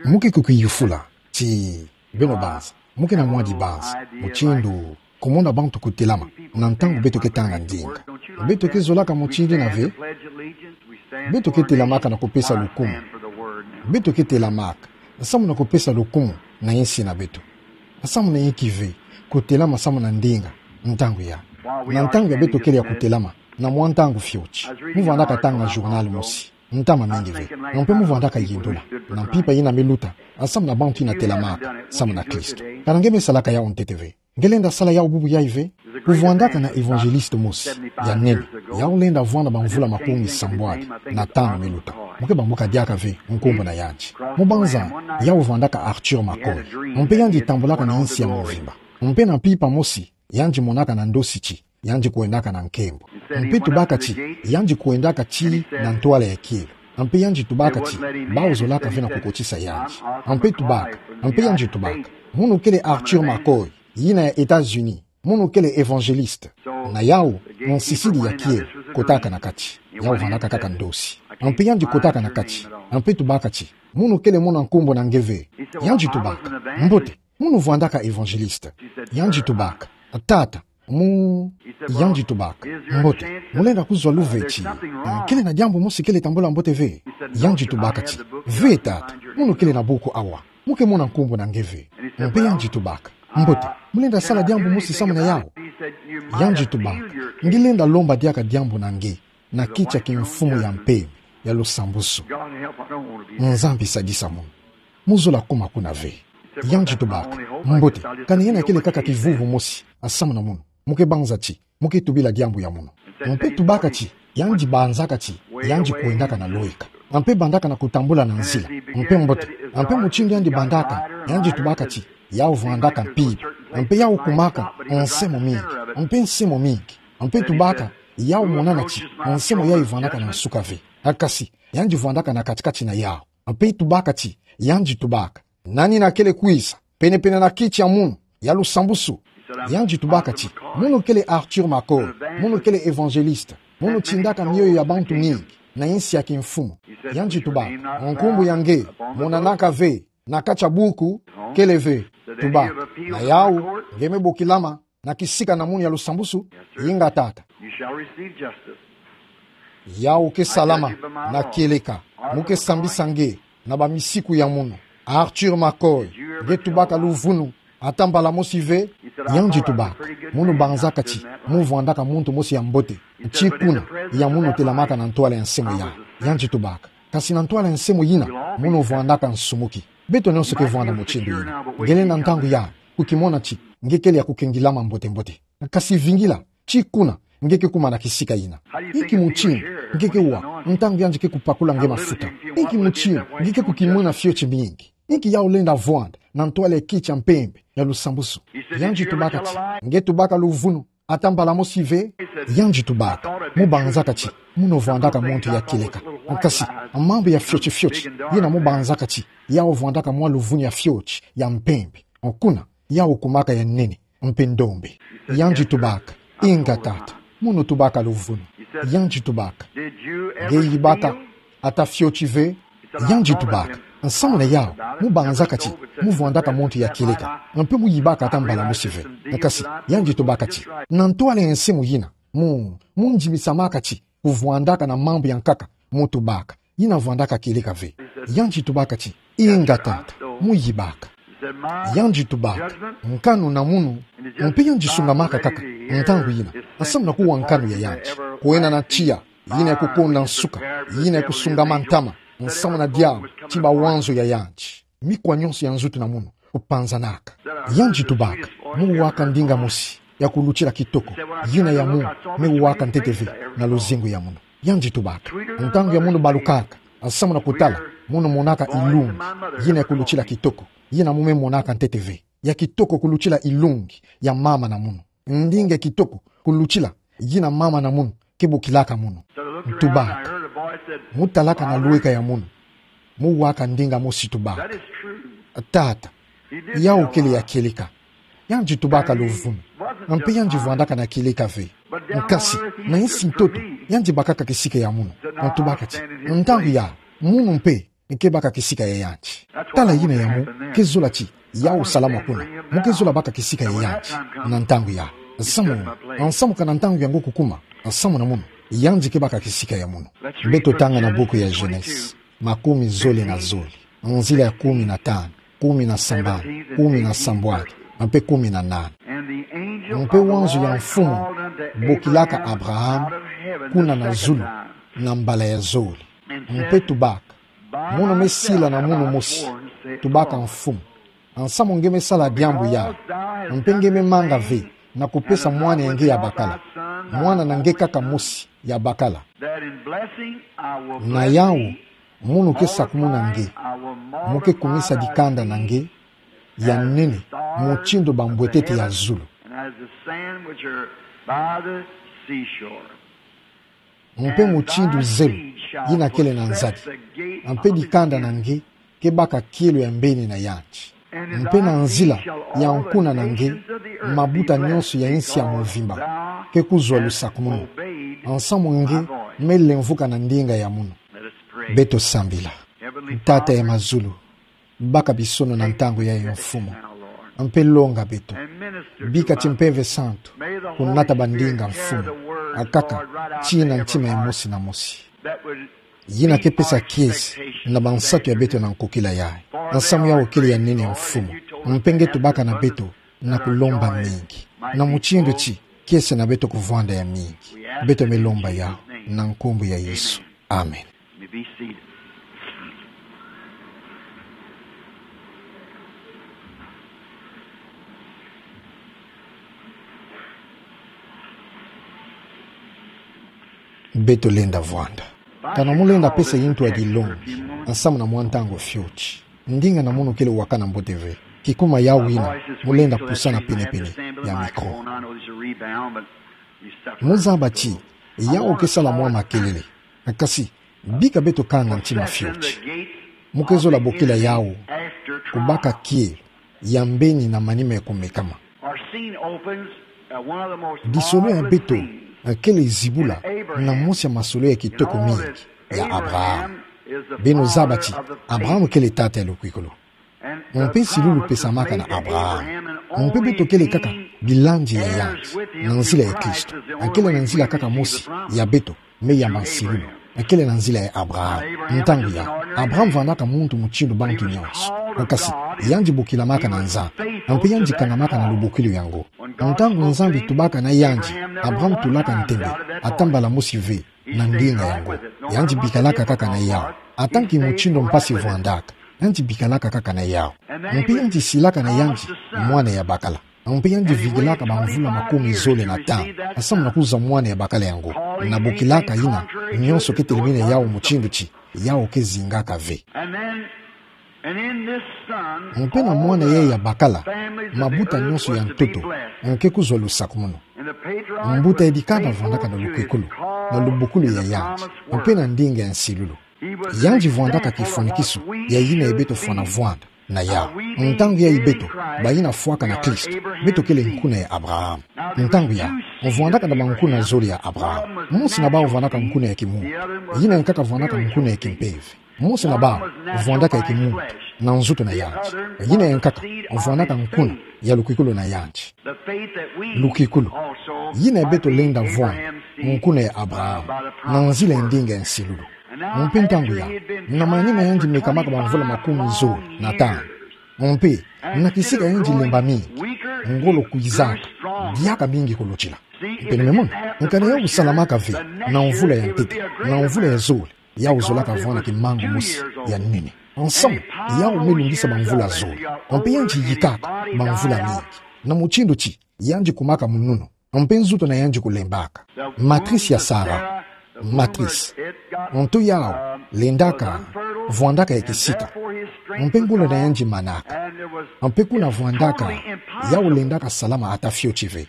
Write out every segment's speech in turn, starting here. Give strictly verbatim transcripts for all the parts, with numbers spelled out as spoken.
Mo ke kukiyufula ti beno banza, mo ke na mwa dibanza mutindu kumona bantu kutelama na ntangu beto ke tanga ndinga? Beto ke zolaka mutindu yina ve. Beto ke telamaka na kupesa lukumu. Beto ke telamaka nsamu na kupesa lukumu na yinsi na beto. Nsamu na yinki ve kutelama nsamu na ndinga ntangu ya, na ntangu ya beto kele ya kutelama na mwa ntangu fioti? Mo vandaka tanga journal mosi ntama mingi ve, mpe mo vandaka yindula na mpimpa yina me luta nsamu na bantu yina telamaka nsamu na Kristo. Kana nge me salaka yawu ntete ve? Nge lenda sala yawu bubu yayi ve? Kuvandaka na évangéliste mosi ya nene, yawu lenda vwanda bamvula makumi sambwadi na tanu me luta. Mo ke bambuka diaka ve nkumbu na yandi. Mo banza, yawu vandaka Arthur McCoy. Mpe yandi tambulaka na yinsi ya mvimba. Mpe na mpimpa mosi, yandi monaka na ndosi ti yandi kwendaka na nkembo. Mpe tubaka ti yandi kwendaka ti na ntwala ya kielo. Mpe yandi tubaka ti bawu zolaka ve na kukotisa yandi. Mpe tubaka, mpe yandi tubaka: Munu kele Arthur McCoy, yina ya États-Unis. Munu kele évangéliste. Na yawu, nsisidi ya kielo kotaka na kati. Yawu vandaka kaka ndosi. Mpe yandi kotaka na kati. Mpe tubaka ti: Munu kele mwana nkumbu na nge ve? Yandi tubaka: Mbote. Munu vandaka évangéliste? Yandi tubaka: Tata, mu... Yandi tubaka: Mbote. Mo lenda kuzwa luve ti, eh, kele na diambu mosi kele tambula mbote ve? Yandi tubaka ti: Ve tata, munu kele na buku awa. Mo ke mwana nkumbu na nge ve? Mpe yandi tubaka: Mbote. Mo lenda sala diambu mosi nsamu na yawu? Yandi tubaka: Nge lenda lomba diaka diambu na nge na kiti ya kimfumu ya mpeve ya lusambusu. Nzambi sadisa munu. Mo zola kuma kuna ve. Yandi tubaka: Mbote, kani yena kele kaka kivuvu mosi nsamu na munu. Mo ke banza ti mo ke tubila diambu ya munu. Mpe tubaka ti yandi banzaka ti yandi kwendaka na lweka. Mpe bandaka na kutambula na nzila. Mpe mbote. Mpe mutindu yandi bandaka, yandi tubaka ti yawu vandaka mpimpa. Mpe yawu kumaka nsemo mingi. Mpe nsemo mingi. Mpe tubaka yawu monana ti nsemo yayi vandaka na nsuka ve. Kasi yandi vandaka na kati-kati na yawu. Mpe tubaka ti, yandi tubaka: Nani yina kele kwiza penepene na kiti ya munu ya lusambusu? Yandi tubaka ti: Munu kele Arthur McCoy. Munu kele évangéliste. Munu tindaka mioyo ya bantu mingi na yinsi ya kimfumu. Yandi tubaka: Nkumbu ya nge monanaka ve na kati ya buku? Kele ve. Tubaka: Na yawu, nge me bokilama na kisika na munu ya lusambusu? Inga tata. Yawu ke salama na kieleka. Mo ke sambisa nge na bamisiku ya munu. Arthur McCoy, nge tubaka luvunu ata mbala mosi ve? Yandi tubaka: Munu banzaka ti mo vandaka muntu mosi ya mbote ti kuna ya munu telamaka na ntwala ya nsemo ya. Yandi tubaka: Kasi na ntwala ya nsemo yina, munu vandaka nsumuki. Beto nyonso ke vwanda mutindu yina. Nge lenda ntangu ya kukimona ti nge kele ya kukengilama mbote-mbote. Kasi vingila, ti kuna nge ke kuma na kisika yina. Inki mutindu nge ke wa ntangu yandi ke kupakula nge mafuta? Inki mutindu nge ke kukimwina fioti mingi? Inki yawu lenda vwanda na ntwala ya kiti ya mpembe ya lusambusu? Yandi tubaka ti: Nge tubaka luvunu ata mbala mosi ve? Yandi tubaka: Mo banzaka ti munu vandaka muntu ya kieleka. Kasi mambu ya fioti-fioti yina mo banzaka ti yawu vandaka mwa luvunu ya fioti ya mpembe. Kuna yawu kumaka ya nene mpe ndombe. Yandi tubaka: Inga tata, munu tubaka luvunu. Yandi tubaka: Nge yibaka ata fioti ve? Yandi tubaka: Nsamu na yawu, mo banzaka ti mo vandaka muntu ya kieleka, mpe mo yibaka ata mbala mosi ve. Kasi yandi tubaka ti na ntwala ya nsemo yina, mo, mo ndimisamaka ti kuvwandaka na mambu ya nkaka mo tubaka, yina vandaka kieleka ve. Yandi tubaka ti: Inga tata, mo yibaka. Yandi tubaka: Nkanu na munu. Mpe yandi sungamaka kaka ntangu yina nsamu na kuwa nkanu ya yandi, kwena na tiya yina ya kukonda nsuka, yina ya kusungama ntama nsamu na diambu ti bawanzo ya yandi. Mikwa nyonso ya nzutu na munu kupanzanaka. Yandi tubaka: Mo waka ndinga mosi ya kulutila kitoko, yina ya munu me waka ntete ve na luzingu ya munu. Yandi tubaka: Ntangu ya munu balukaka nsamu na kutala, munu monaka ilungi yina ya kulutila kitoko, yina mo me monaka ntete ve. Ya kitoko kulutila ilungi ya mama na munu. Ndinga ya kitoko kulutila yina mama na munu ke bokilaka munu. Tubaka: Mo talaka na lweka ya munu, mo waka ndinga mosi, tubaka: Tata, yawu kele ya kieleka. Yandi tubaka luvunu, mpe yandi vandaka na kieleka ve. Kasi na yinsi ntoto yandi bakaka kisika ya munu. Tubaka ti: Ntangu ya munu mpe ke baka kisika ya yandi. Tala yina ya mo ke zola ti yau salama kuna, mo ke zola baka kisika ya yandi na ntangu ya. Nsamu, nsamu ka na ntangu yango kukuma, nsamu na mono, yandi ke baka kisika ya mono. Beto tanga na buku ya Genèse, makumi zole na zole, nzila ya kumi na tanu, kumi na sambanu, kumi na sambwadi, mpe kumi na nana. Mpe wanzu ya mfumu bokilaka Abraham kuna na zulu na mbala ya zole. Mpe tubaka: Mono me sila na munu mosi, tubaka mfumu, nsamu nge me sala diambu ya, mpe nge me manga ve na kupesa mwana ya nge ya bakala, mwana na nge kaka mosi ya bakala. Na yau, mono ke sakumuna nge, mo ke kumisa dikanda na nge ya nene mutindu bambwetete ya zulu. Mpe mutindu zelu yina kele na nzadi, mpe dikanda na nge ke baka kielo ya mbeni na yandi. Mpe na nzila ya nkuna na nge, mabuta nyonso ya insi ya mvimba ke kuzwa lusakumunu, nsamu nge me lemvuka na ndinga ya mono. Beto sambila. Tata ya mazulu, baka bisono na ntangu yayi, Mfumu, mpe longa beto. Bika ti Mpeve Santu kunata bandinga, Mfumu, akaka ti na ntima ya mosi na mosi, yina ke pesa kiese na bansatu ya beto na nkokila yayi. Nsamu yau kele ya nene, Mfumu, mpe nge tubaka na beto na kulomba mingi, na mutindu ti kiese na beto kuvwanda ya mingi. Beto me lomba yau na nkumbu ya Yesu. Amen. You may be seated. Beto lenda vwanda. Kana mo lenda pesa yintu ya dilongi nsamu na mwa ntangu fioti, ndinga na mono kele wakana mbote ve, kikuma yau yina mo lenda pusana penepene ya mikro. Mo zaba ti yau ke sala mwa makelele, kasi bika beto kanga ntima fioti. Mo ke zola bokila yau kubaka kielo ya mbeni na manima ya kumekama. Disolo ya beto kele zibula na mosi ya masolo ya kitoko mingi ya Abraham. Beno zaba ti Abraham kele tata ya lukwikulu. Mpe nsilulu pesamaka na Abraham. Mpe beto kele kaka bilandi ya yandi na nzila ya Kristo. Kele na nzila kaka mosi ya beto me yamba nsilulu, kele na nzila ya Abraham. Ntangu ya Abraham vwandaka muntu mutindu bantu nyonso. Kasi yandi bokilamaka na Nzambi, mpe yandi kangamaka na lubokilo yango. Ntangu Nzambi tubaka na yandi, Abraham tulaka ntembe ata mbala mosi ve na ndinga yango. Yandi bikalaka kaka na yau. Ata nki mutindu mpasi vwandaka, yandi bikalaka kaka na yau. Mpe yandi silaka na yandi mwana ya bakala. Mpe yandi vikilaka bamvula makumi zole na tanu nsamu na kuzwa mwana ya bakala yango, na bokilaka yina nyonso ke telemene yau mutindu ti yau ke zingaka ve. Mpe na mwana yayi ya bakala, mabuta nyonso ya ntoto ke kuzwa lusakumunu. Mbuta ya dikanda vwandaka na lukwikulu, na lubokilo ya yandi, mpe na ndinga ya nsilulu. Yandi vwandaka kifwanikiso ya yina ye beto fwana vwanda na yau. Ntangu yayi beto bayina fwaka na Kristo, beto kele nkuna ya Abraham. Ntangu ya, mvwandaka na bankuna zole ya Abraham. Mosi na bau vwandaka nkuna ya kimuntu, yina ya nkaka vwandaka nkuna ya kimpeve. Mosi na bau vwandaka ya kimuntu na nzoto na yandi, yina ya nkaka vwandaka nkuna ya lukwikulu na yandi. Lukwikulu, yina ye beto lenda vwanda nkuna ya Abraham na nzila ya ndinga ya nsilulu. Mpe ntangu ya, na manima yandi mekamaka bamvula makumi zole na tanu, mpe na kisika yandi lemba mingi, ngolo kwizaka diaka mingi kolotila. Beno me mona, nkana yau salamaka ve na mvula ya ntete, na mvula ya zole, yau zolaka vwanda kimangu mosi ya nene. Nsamu, yau me lungisa bamvula zole, mpe yandi yikaka bamvula mingi, na mutindu ti yandi kumaka mununu, mpe nzoto na yandi kulembaka. Matrice ya Sara, matrice, nto yau lendaka vwandaka ya kisika, mpe ngolo na yandi manaka. Mpe kuna vwandaka, yau lendaka salama ata fioti ve.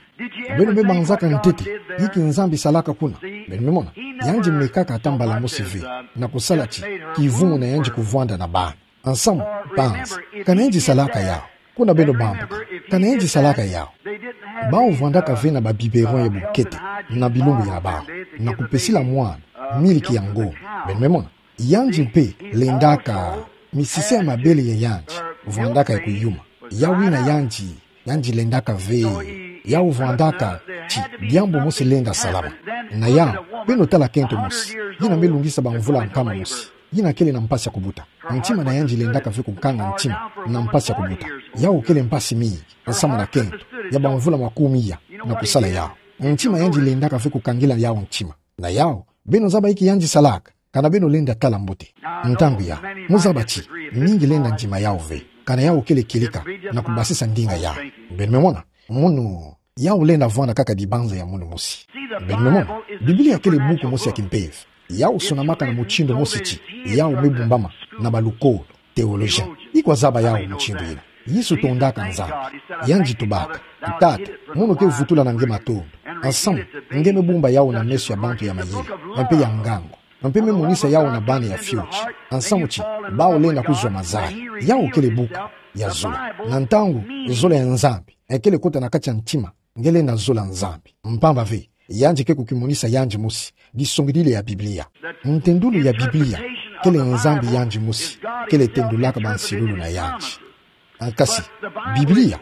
Beno me banzaka ntete inki Nzambi salaka kuna? Beno me mona, yandi mekaka ata mbala mosi ve na kusala ti kivumu na yandi kuvwanda na bana. Nsamu, banzi, kana yandi salaka yau. Kuna beno bambuka, kana yandi salaka yau. Bau vwandaka ve na ba biberon ya bunkete na bilumbu ya bau, na kupesila mwana miliki ya ngongo. Beno me mona, Yandi mpe lendaka misisa ya mabele ya yandi vwandaka ya kuyuma. Yau yina yandi, yandi lendaka ve. Yau vwandaka ti diambu mosi lenda salama. Na yau, beno tala kento mosi, yina me lungisa bamvula nkama mosi, yina kele na mpasi ya kubuta. Ntima na yandi lendaka ve kukanga ntima na mpasi ya kubuta. Yau kele mpasi mingi, nsamu na kento ya bamvula makumi iya na kusala yau. Ntima yandi lendaka ve kukangila yau ntima. Na yau, beno zaba inki yandi salaka, kana beno lenda tala mbote. Ntangu ya, mu zaba ti mingi lenda ndima yau ve, kana yau kele kilika na kubasisa ndinga yau. Beno me mona, munu yau lenda vwanda kaka dibanza ya munu mosi. Beno me mona, Biblia kele buku mosi ya kimpeve. Yau sonamaka na mutindu mosi ti yau me bumbama na balukolo, théologien. Ikwa zaba yau mutindu yina. Yesu tondaka Nzambi. Yandi tubaka: Tata, mono ke vutula na nge matondo, nsamu nge me bumba yau na meso ya bantu ya mayela, mpe ya ngangu, mpe me monisa yau na bana ya fioti, nsamu ti bau lenda kuzwa mazayi. Yau kele buku ya zola. Na ntangu zola ya Nzambi ekele kota na kati ya ntima, nge lenda zola Nzambi. Mpamba ve, yandi ke kukimonisa yandi mosi disongidila ya Biblia. Ntendulu ya Biblia kele Nzambi yandi mosi kele tendulaka bansilulu na yandi. Kasi, Biblia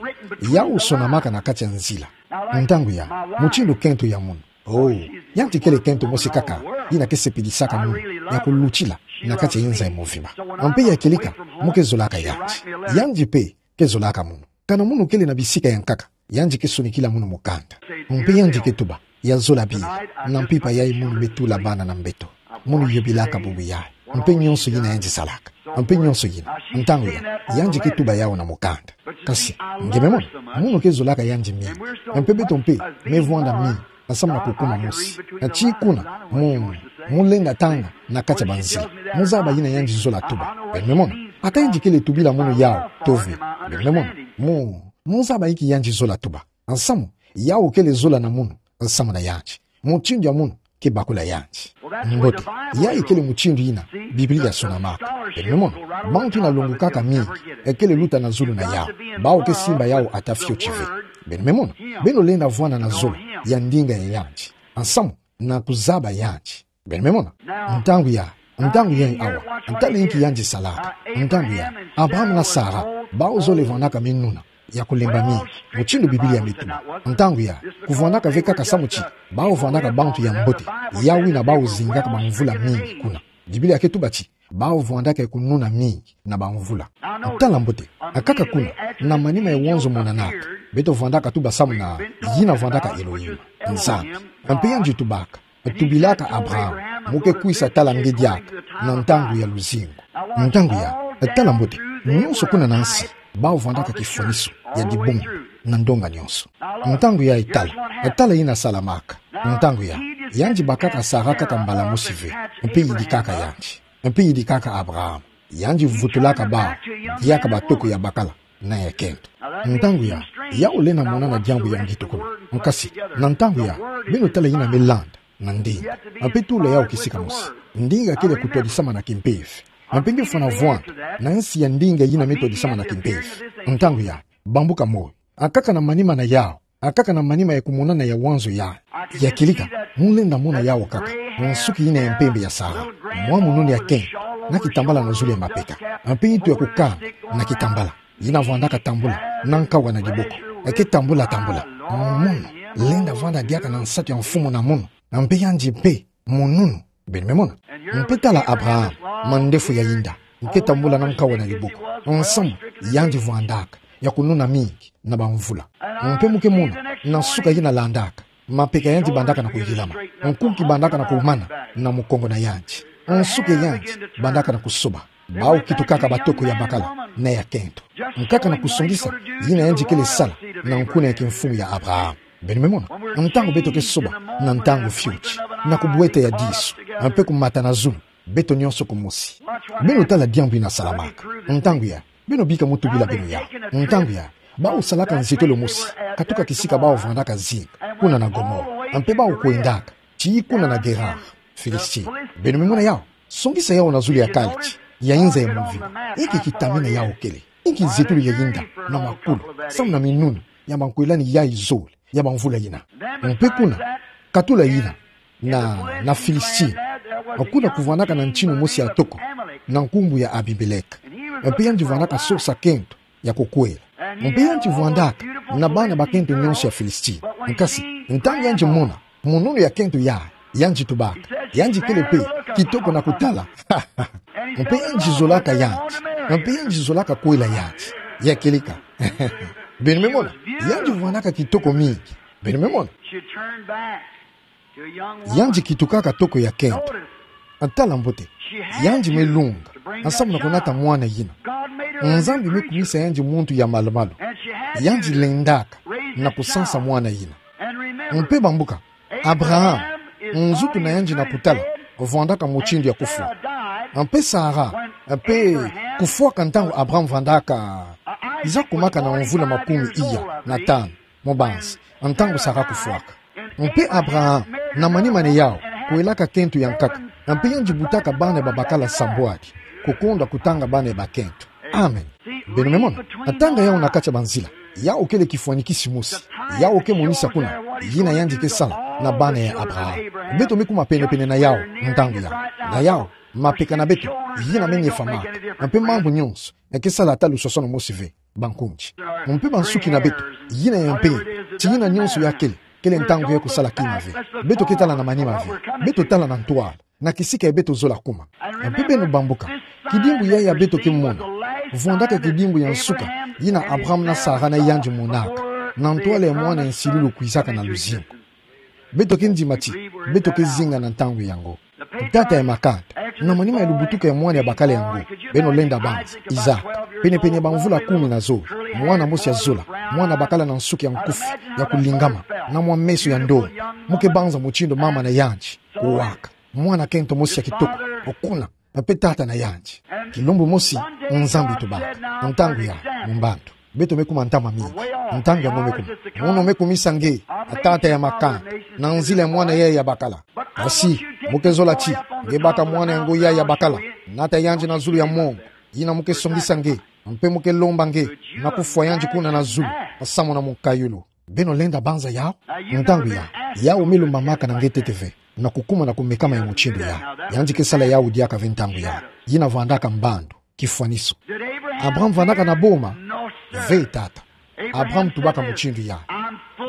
yau sonamaka na kati ya nzila. Ntangu ya, mutindu kento ya munu. Oh, yandi kele kento mosi kaka yina ke sepilisaka munu ya kulutila na kati ya inza ya movimba. Mpe ya kilika, mu ke zolaka yandi. Yandi mpe ke zolaka munu. Kana munu kele na bisika ya nkaka, yandi ke sonikila munu mukanda. Mpe yandi ke tuba: Ya zola bira, na mpimpa yayi munu me tula bana na mbeto. Munu yobilaka bubu yayi, mpe nionso yina yandi salaka, mpe nionso yina. Ntangu ya, yandi ke tuba yau na mukanda. Kasi, nge me mona, munu ke zolaka yandi mingi. Mpe beto mpe me vwanda mingi, nsamu na kukuma mosi. Na ti kuna, mu, mu lenda tanga na kati ya banzila. Mu zaba yina yandi zola tuba. Beno me mona, ata yandi kele tubila munu yau tove. Beno me mona, mu, mu zaba inki yandi zola tuba. Nsamu, yau kele zola na munu nsamu na yandi. Mutindu ya munu ke bakula yandi. Mbote, yayi kele mutindu yina Biblia sonamaka. Beno me mona, bantu yina longokaka mingi, ekele luta na zulu na yau. Bau ke simba yau ata fioti ve. Beno me mona, beno lenda vwanda na zola ya ndinga ya yandi, nsamu na kuzaba yandi. Beno me mona. Ntangu ya, ntangu ya awa, tala inki yandi salaka. Ntangu ya, Abraham na Sara bau zole vwandaka minuna ya kulemba mingi, mutindu Biblia me tuba. Ntangu ya, kuvwandaka ve kaka samu ti bau vwandaka bantu ya mbote, yau yina bau zingaka bamvula mingi kuna. Biblia ke tuba ti bau vwandaka ya kununa mingi na bamvula. Tala mbote, akaka kuna, na manima ya wanzo monanaka, beto vwandaka tuba samu na yina vwandaka Elohim, Nzambi. Mpe yandi tubaka: Tubilaka Abraham, mu ke kwisa tala nge diaka na ntangu ya luzingu. Ntangu ya, tala mbote, nionso kuna na nsi bau vwandaka kifwaniso ya dibungu na ndonga nionso. Ntangu ya, tala, tala yina salamaka. Ntangu ya, yandi bakaka Sara kaka mbala mosi ve, mpe yidikaka yandi, mpe yidikaka Abraham. Yandi vutulaka bau, diaka batoko ya bakala na ya kento. Ntangu ya, yau lenda monana diambu ya ngitukulu. Nkasi, na ntangu ya, beno tala yina me landa na ndinga. Mpe tula yau kisika mosi. Ndinga kele kutwadisama na kimpeve. Mpe nge fwana vwanda na nsi ya ndinga yina me twadisama na kimpeve. Ntangu ya, bambuka moyo. Akaka na manima na yau, akaka na manima ya kumonana ya wanzo ya, ya kilika, mu lenda mona yau kaka nsuki yina ya mpembe ya Sara, mwa mununi ya kento, na kitambala na zulu ya mapeka, mpe ntu ya kukana na kitambala. Yina vwandaka tambula na nkawa na diboko, eke tambula tambula. Munu lenda vwanda diaka na nsatu ya mfumu na munu, mpe yandi mpe mununu. Beno me mona. Mpe tala Abraham, mandefu ya yinda, nke tambula na nkawa na diboko, nsamu yandi vwandaka ya kununa mingi na bamvula. Mpe mu ke mona, na nsuka yina landaka, mapeka yandi bandaka na kuyilama, nkunki bandaka na kumana na mukongo na yandi, nsuki ya yandi bandaka na kusoba. Bau kitukaka batoko ya bakala na ya kento. Nkaka na kusongisa yina yandi kele sala na nkuna ya kimfumu ya Abraham. Beno me mona, ntangu beto ke soba na ntangu fioti, na kubweta ya disu, mpe kumata na zulu, beto nionso kumosi. Beno tala diambu yina salamaka. Ntangu ya, beno bika mu tubila beno yau. Ntangu ya, bau salaka nzetolo mosi katuka kisika bau vwandaka zinc, kuna na Gomora, mpe bau kwendaka tii kuna na Gerar, Filistia. Beno me mona yau, songisa yau na zulu ya kalti ya inza ya mvimba. Inki kitamina yau kele? Inki nzetolo ya yinda na makulu, samu na minunu ya mankwelani yayi zole ya bamvula yina? Mpe kuna, katula yina, na, na Filistia, Kuna kuvwandaka na ntinu mosi ya toko, na nkumbu ya Abimeleka. Mpe yandi vwandaka sosa kento ya kukwela. Mpe yandi vwandaka na bana bakento nyonso ya Filistia. Nkasi, ntangu yandi mona monono ya kento yayi, yandi tubaka. Yandi kele mpe kitoko na kutala. Mpe yandi zolaka yandi. Mpe yandi zolaka kwela yandi. Ya kieleka. Beno me mona, yandi vwandaka kitoko mingi. Beno me mona. She turned back to a young woman. Yandi kitukaka toko ya kento. Notice. Tala mbote. She had yandi me lunga, to bring that ensemble na kunata child. Mwana yina. God made her a new creature. Nzambi me kumisa yandi muntu ya malumalu. And she had to raise that child. Yandi lendaka na kusansa mwana yina. And remember, mpe bambuka, Abraham, Abraham is nzutu na yandi na kutala, vwandaka mutindu ya kufwa. Mpe Sara, mpe kufwaka ntangu Abraham vwandaka, iza kumaka na mvula makumi iya na tanu, mubanzi, ntangu Sara kufwaka. Mpe Abraham, na manima na yawu, kwelaka kento ya nkaka, mpe yandi butaka bana babakala sambwadi, kukonda kutanga bana bakento. Amen. Beno me mona, tanga yawu na kati ya banzila. Yawu kele kifwanikisi mosi. Yawu ke monisa kuna yina yandi ke sala na bana ya Abraham. Beto me kuma penepene na yawu, ntangu yawu. Na yawu, mapeka na beto, yina me nyefamaka. Mpe mambu nyonso eke sala ata lusosono mosi ve, bankundi. Mpe bansuki na beto, yina ya mpe, ti yina nyonso ya kele, kele ntangu ya kusala kima ve. Beto ke tala na manima ve. Beto tala na ntwala, na kisika ya beto zola kuma. Mpe beno bambuka, kidimbu yayi ya beto ke mona, vwandaka kidimbu ya nsuka yina Abraham na Sara na yandi monaka, na ntwala ya mwana ya nsilulu kwizaka na luzingu. Beto ke ndima ti beto ke zinga na ntangu yango. Tata ya makanda, na manima ya lubutuka ya mwana ya bakala yango, beno lenda banza, Isaac, penepene ya bamvula kumi na zole, mwana mosi ya zola, mwana bakala na nsuki ya nkufi, ya kulingama, na mwa meso ya ndonga. Mu ke banza mutindu mama na yandi kuwaka. Mwana kento mosi ya kitoko, okuna, mpe tata na yandi. Kilumbu mosi, Nzambi tubaka, ntangu ya, mu mbandu. Beto me kuma ntama mingi. Ntangu yango me kuma. Mono me kumisa nge, a tata ya makanda, na nzila ya mwana yayi ya bakala. Kasi, mu ke zola ti nge baka mwana yango yayi ya bakala, nata yandi na zulu ya mongo, yina mu ke songisa nge, mpe mu ke lomba nge, na kufwa yandi kuna na zulu, samu na munkayulu. Beno lenda banza yawu? Ntangu yawu, yawu me lumbamaka na nge ntete ve, na kukuma na kumekama ya mutindu yawu. Yandi ke sala yawu diaka ve ntangu yawu. Yina vwandaka mbandu, kifwaniso. Abraham vwandaka na boma? Ve tata. Abraham tubaka mutindu yawu.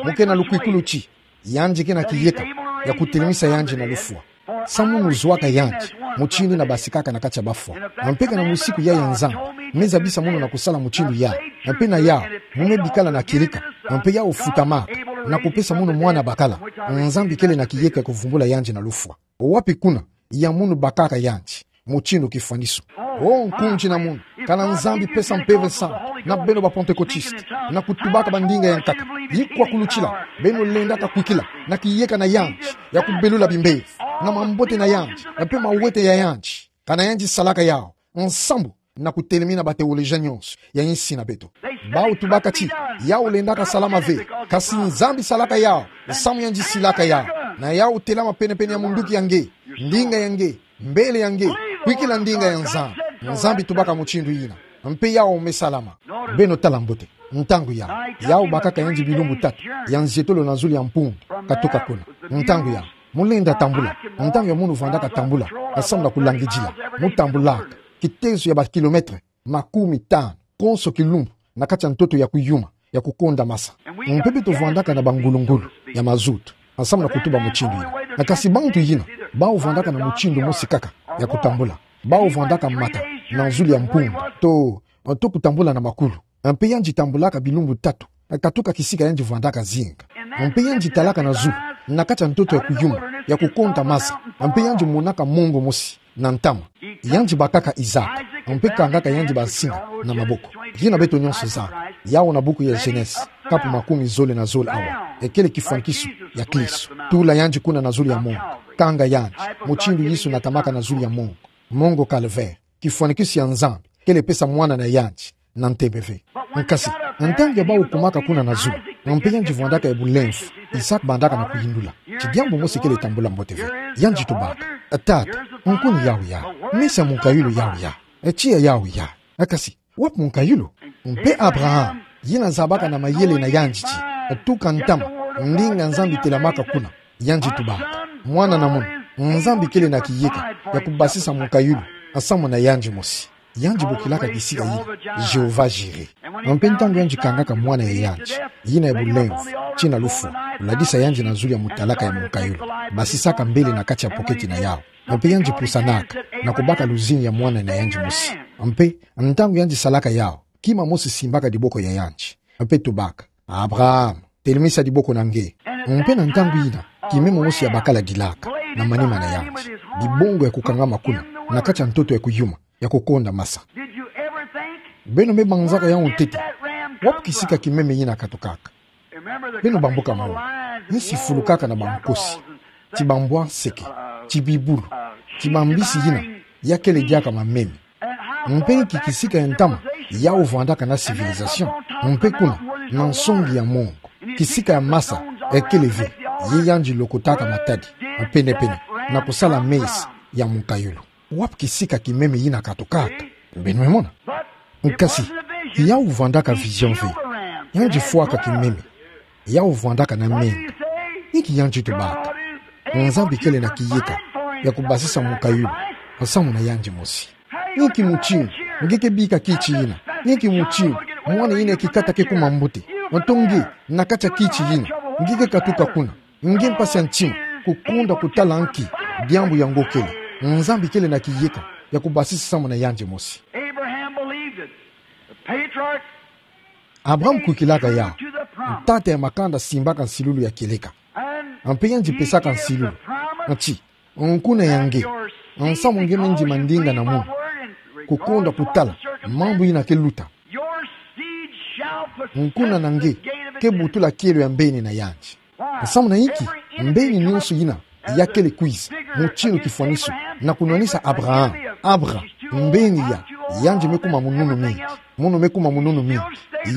Mu ke na lukwikulu ti yandi ke na kiyeka ya kutelemisa yandi na lufwa. Samu munu zwaka yandi, mutindu na basikaka na kati ya bafwa. Mpe kana musiku yayi ya Nzambi me zabisa munu na kusala mutindu yawu, mpe na yawu, mu me bikala na kieleka, mpe yawu futamaka, na kupesa munu mwana bakala, Nzambi kele na kiyeka ya kuvumbula yandi na lufwa. Wapi kuna ya munu bakaka yandi mutindu kifwaniso? O nkundi na munu, kana Nzambi pesa Mpeve Santu na beno ba Pantekotiste, na kutubaka bandinga ya nkaka, yikwakulutila, beno lendaka kwikila na kiyeka na yandi ya kubelula bimbevo, na mambote na yandi, mpe mawete ya yandi. Kana yandi salaka yawu, nsambu na kutelemina ba théologien nyonso ya insi na beto. Bawu tubaka ti yawu lendaka salama ve, kasi Nzambi salaka yawu, samu yandi silaka yawu. Na yawu telama penepene ya munduki ya nge, ndinga ya nge, mbele ya nge, kwikila ndinga ya Nzambi. Nzambi tubaka mutindu yina, mpe yawu me salama. Beno tala mbote, ntangu yawu, yawu bakaka yandi bilumbu tatu ya nzietolo na zulu ya mpundu, katuka kuna. Ntangu yawu, mu lenda tambula, ntangu ya munu vwandaka tambula, samu na kulangidila, mu tambulaka kitezo ya ba kilomètre makumi tanu konso kilumbu, na kati ya ntoto ya kuyuma, ya kukonda masa. Mpe beto vwandaka na bangulungulu ya mazutu, samu na kutuba mutindu yina. Kasi bantu yina, bawu vwandaka na mutindu mosi kaka ya kutambula. Bawu vwandaka mata na zulu ya mpundu, to, to kutambula na makulu. Mpe yandi tambulaka bilumbu tatu, katuka kisika yandi vwandaka zinga. Mpe yandi talaka na zulu, na kati ya ntoto ya kuyuma, ya kukonda masa, mpe yandi monaka mongo mosi na ntama. Yandi bakaka Isaac, mpe kangaka yandi bansinga na maboko. Yina beto nyonso zaba yawu na buku ya Genèse, kapu makumi zole na zole awa. Ekele kifwanikiso ya Kristo. Tula yandi kuna na zulu ya mongo. Kanga yandi, mutindu Yesu natamaka na zulu ya mongo. Mongo Calvaire, kifwanikiso ya Nzambi kele pesa mwana na yandi na ntembe ve. Nkasi, ntangu ya bawu kumaka kuna na zulu, mpe yandi vwandaka ya bulemvo, Isaac bandaka na kuyindula ti diambu mosi kele tambula mbote ve. Yandi tubaka: Tata, nkuni yawu yayi, mesa munkayulu yawu yayi, tiya yawu yayi. Kasi, wapi munkayulu? Mpe Abraham, yina zabaka na mayele na yandi ti tuka ntama, ndinga Nzambi telamaka kuna, yandi tubaka: Mwana na munu, Nzambi kele na kiyeka ya kubasisa mukayulu nsamu na yandi mosi. Yandi bokilaka kisika yina Jéhovah Jiré. Mpe ntangu yandi kangaka mwana ya yandi yina ya bulemvu, tina lufwa, kuladisa yandi na zulu ya mutalaka ya mukayulu, basisaka mbele na kati ya poketi na yawu. Mpe yandi pusanaka na kubaka luzingu ya mwana na yandi mosi. Mpe ntangu yandi salaka yawu, kima mosi simbaka diboko ya yandi, mpe tubaka: Abraham, telemisa diboko na nge. Mpe na ntangu yina, kimeme mosi ya bakala dilaka na manima na yandi. Dibongo ya kukangama kuna, na kati ya ntoto ya kuyuma, ya kukonda masa. Beno me banzaka yawu ntete? Wapi kisika kimeme yina katukaka? Beno bambuka mona, ni sifulukaka na bankosi, ti bambwa nseke, ti bibulu, ti bambisi yina ya kele diaka mameme. Mpe nki kisika ya ntama yawu vwandaka na civilisation, mpe kuna, na nsongi ya mongo, kisika ya masa ekele ve, ye yandi lokotaka matadi penepene, na kusala mesa ya mukayulu? Wapi kisika kimeme yina katukaka? Beno me mona. Nkasi, yawu vwandaka vision ve. Yandi fwaka kimeme. Yawu vwandaka na menga. Nki yandi tubaka? Nzambi kele na kiyeka ya kubasisa mukayulu nsamu na yandi mosi. Nki mutindu nge ke bika kiti yina? Nki mutindu mwana yina ya kikata ke kuma mbote? Nto nge, na kati ya kiti yina, nge ke katuka kuna, nge mpasi ya ntima, kukonda kutala nki diambu yango kele? Nzambi kele na kiyeka ya kubasisa nsamu na yandi mosi. Abraham believed it. The patriarch, Abraham kwikilaka yawu. Ntata ya makanda simbaka nsilulu ya kieleka. Mpe yandi pesaka nsilulu. Nti, nkuna ya nge, nsamu nge me ndima ndinga na munu, kukonda kutala mambu yina ke luta. Nkuna na nge ke butula kielo ya mbeni na yandi. Nsamu na inki? Mbeni nionso yina ya kele kwiza, mutindu kifwaniso, na kunwanisa Abraham. Abra, mbeni ya, yandi me kuma mununu mingi. Munu me kuma mununu mingi.